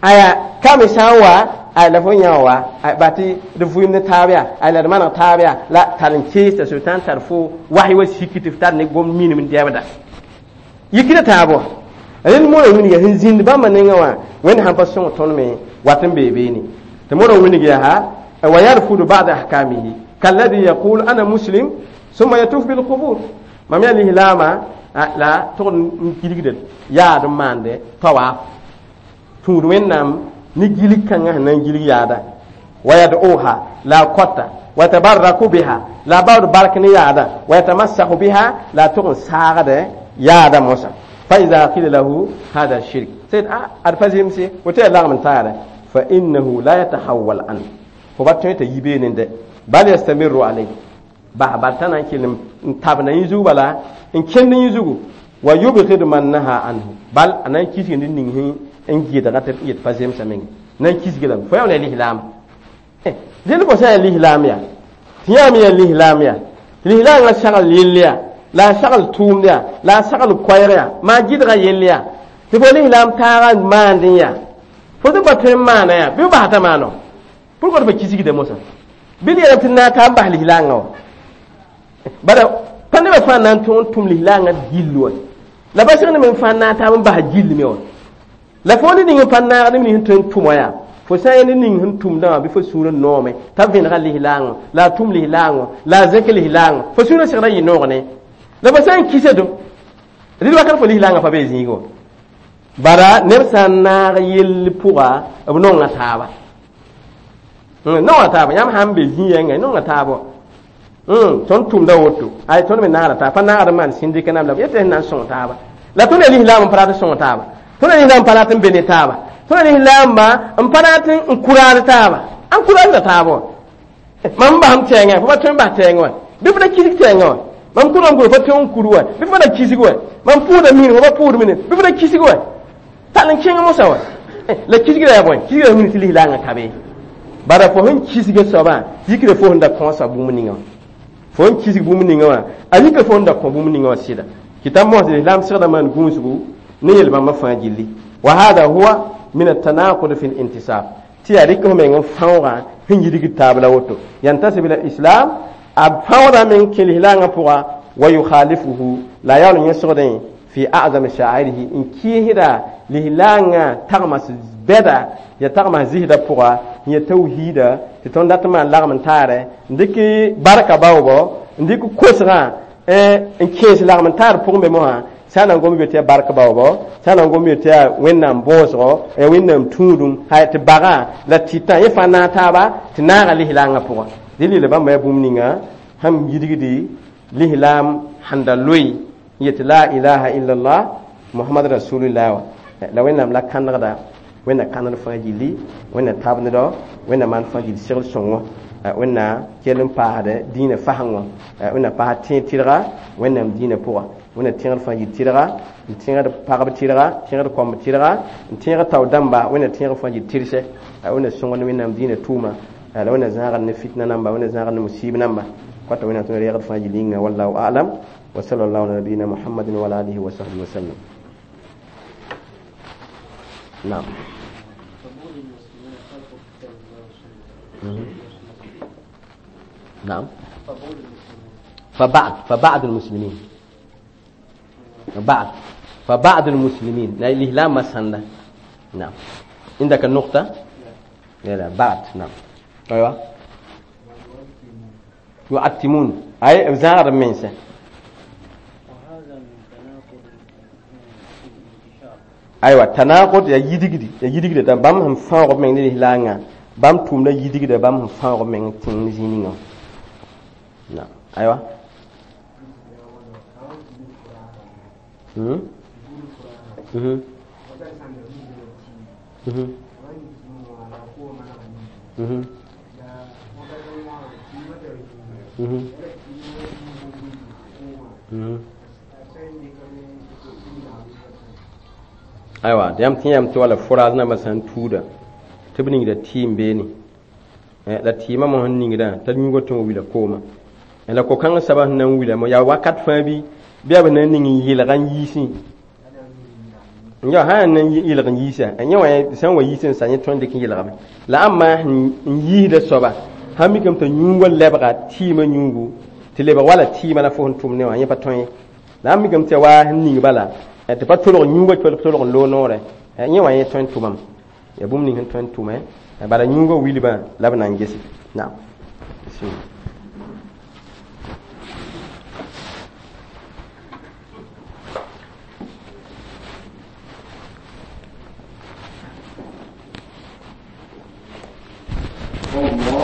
aya ka me sã n wa ay la fo yã wa ay ba tɩ d vɩɩm ne taab yaa ay la d maneg taab yaa la tar n keesta sʋtãan tar fo wasy wa sik tɩ f tar ne gom minim n dɛbda yikda taab wã. Rẽnd mora wilga sẽn zĩnd bãmba nengã wã Wẽnd sãn pa sõng tõnd me wat n bee beene tɩ mora wilg yaa wa yarfudu ba'da ahkamihi kalladi yaqul ana muslim summa yatuf bilqubur, mam yaa lislaamã la tʋgd n gilgda yaad n maande tawaaf tũud Wẽnnaam ne gilg kãngã sẽn na n gilg yaada, wa yad'uha la kɔta wa tabarraku biha la baood bark ne yaada, wa yatamassahu biha la tʋg n saagdɛ yaada mosã. Fa ida qila lahu hada shirk sayd ad pa zemse woto yaa lagm n taara, fa innahu la yatahawwal an fo ba tõe t'a yi beene dɛ, bal yastamiru alayh bas bal t'a na n kell n tabna yẽ zug bala n kẽnd yẽ zugu, wa yubgid man naha anhu bal a na n kisg ned ning sẽn n gɩdga tɩ yet pa zemsã menge. Na n kisg lame fo yaa ne lislaam dẽnd fo sã n yaa lislaam yaa tɩ yãmb yaa lislaam yaa tɩ lislaangã sagl yell yaa la a sagl tʋʋmd yaa la a sagl koɛɛg yaa maa gɩdgã yell yaa tɩ fo lislaam taagã maandẽ yaa fo tɩ pa tõe n maana yaa bɩ f basda maano pourquoi tɩ fa kisgda mosã bɩ d yeelame tɩ naag ka n bas lislaangã wa bala pa nebã fãa na n tõog n tʋm lislaangã gill wa la ba sẽg ne me fãa naag taab n bas gill me wa la fo ne ning n pa naag neb nins sẽn tõe n tʋm wã yaa fo sã n yaa ne ning sẽn tʋmdã wã bɩ fo sũurã noome t'a vẽnega lislaangõ la a tʋm lislaangõ la a zẽk lislaangõ fo sũurã segda yɩ noog ne la fo sã n kisa do rɩd wakat fo lislaangã pa bee zĩigẽ wã bala neb sã n naag yell pʋga b nonga taaba nonga taaba yãmb sãn be zĩ-yɛngã nonga taaba tõnd tʋmda woto ay tõnd me naagda taaba pa naagd n maan sĩndika nam la b yetɩ sẽn na n sõng taaba la tõnd yaa lislaam n pa rat n sõng taaba tõnd yaa lislaam n pa rat n be ne taaba tõnd yaa lislaamba n pa rat n kuraad taaba an kuraadda taaba wã mam n basem tɛɛngã fo pa tõe n bas tɛɛngã wã bɩ fo da kisg tɛɛngã wã mam kurã n kur fo tõe n kur wa bɩ fo da kisg wa mam pʋʋda mini fo pa pʋʋd mini bɩ fo da kisg wa tall n kẽng mosã wa la kisgra yaa bõe kisgra wilg tɩ lislaangã ka be bara fo sẽn kisga soabã yikra fo sẽn da kõosa bũmb ninga wã fo sẽn kisg bũmb ninga wã a yikra fo sẽn da kõ bũmb ninga wã sɩda kɩ mos lislaam segda maan gũusgu ne yel-bãmbã fãa gilli wa hada huwa min التناقض في الانتساب tɩ yaa rɩk f meng n fãoogã sẽn yidgd taab la woto yantasib ila islam a fãoodã meng kẽ lislaangã pʋga wa yukhalifuhu la a yaool n yẽsgdẽ fi a'zam sha'airihi n kɩɩsda lislaangã tagmas bɛda ya tagmas zisdã pʋga n ya tawhiida tɩ tõnd dat n maan lagm n taare n dɩk barka baoobɔ n dɩk kosgã n kẽes lagm n taar pʋgẽ be mosã sã n na n gom tɩ yaa bark baoobɔ sã n na n gom tɩ yaa wẽnnaam bõosgo ya wẽnnaam tũudum hay tɩ bagã la tɩtã yẽ fãa naag taaba tɩ naaga lislaangã pʋga dẽ lila bãmba yaa bũmb ninga sẽn yidgdi lislaam sẽn da loe n yetɩ la ilaha illallah muhammad rasulullah wã la wẽnnaam la kãnegda wẽnna kãned fãa gilli wẽnna tabnedɔ wẽnna maan fãa gill segl sõngo wẽnna kell n paasd dĩinã fasengõ wẽnna paasd tẽed tɩrga wẽnnaam dĩinã pʋga wẽnna tẽgd fãa gill tɩrga n tẽgd pagb tɩrga tẽgd kɔmb tɩrga n tẽeg tao dãmba wẽnna tẽeg fãa gill tɩrse wẽnna sõngd wẽnnaam dĩinã tʋʋma la wẽnna zãagd ne fitna namba wẽnna zãagd ne musiib namba kɔta wẽnnaam tõnd reegd fãa gill yĩnga wallahu a'lam wa sallallahu ala nabiyina muhammadin wa ala alihi wa sahbihi wa sallam نعم نعم فبعض المسلمين فبعض المسلمين الإسلام مسنة نعم عندك النقطة لا لا بعد نعم أيوة يعتمون أي زار منسى aywa tanaqud ya yidigdi ya yidigda da bãmb sẽn fãoog b meng ne lislaangã bãmb tʋʋmda yidigda bãmb sẽn fãoog b meng tẽng zĩig ninga na aywa aywa yãmb tẽ yam tɩ wala fʋraas nambã sã n tuuda tɩ b ningda tɩɩm beene la tɩɩmã mo sẽn ningdã t'a yũugã tõe n wila koomã la ko-kãngã soabã sẽn na n wila yaa wakat fãa bɩ yaa b na n ning n yɩlg n yiisẽ ya sã n na n yɩlg n yiisa yẽ wã sã n wa yiis n sa yẽ tõe n dɩk n yɩlgame la ãmba n yiisda soaba sãn mikame t'a yũugã lebga tɩɩmã yũugu tɩ lebg wala tɩɩmã la fo sẽn tʋm ne wã yẽ pa tõe ye la ãmb mikame tɩ yaa wa sẽn ning bala tɩ pa tolg yũugã tolg n loog noorɛ yẽ wã yẽ tõe n tʋmame yaa bũmb ning sẽn tõe n tʋme bala yũugã wilbã la b na n gese naam الله.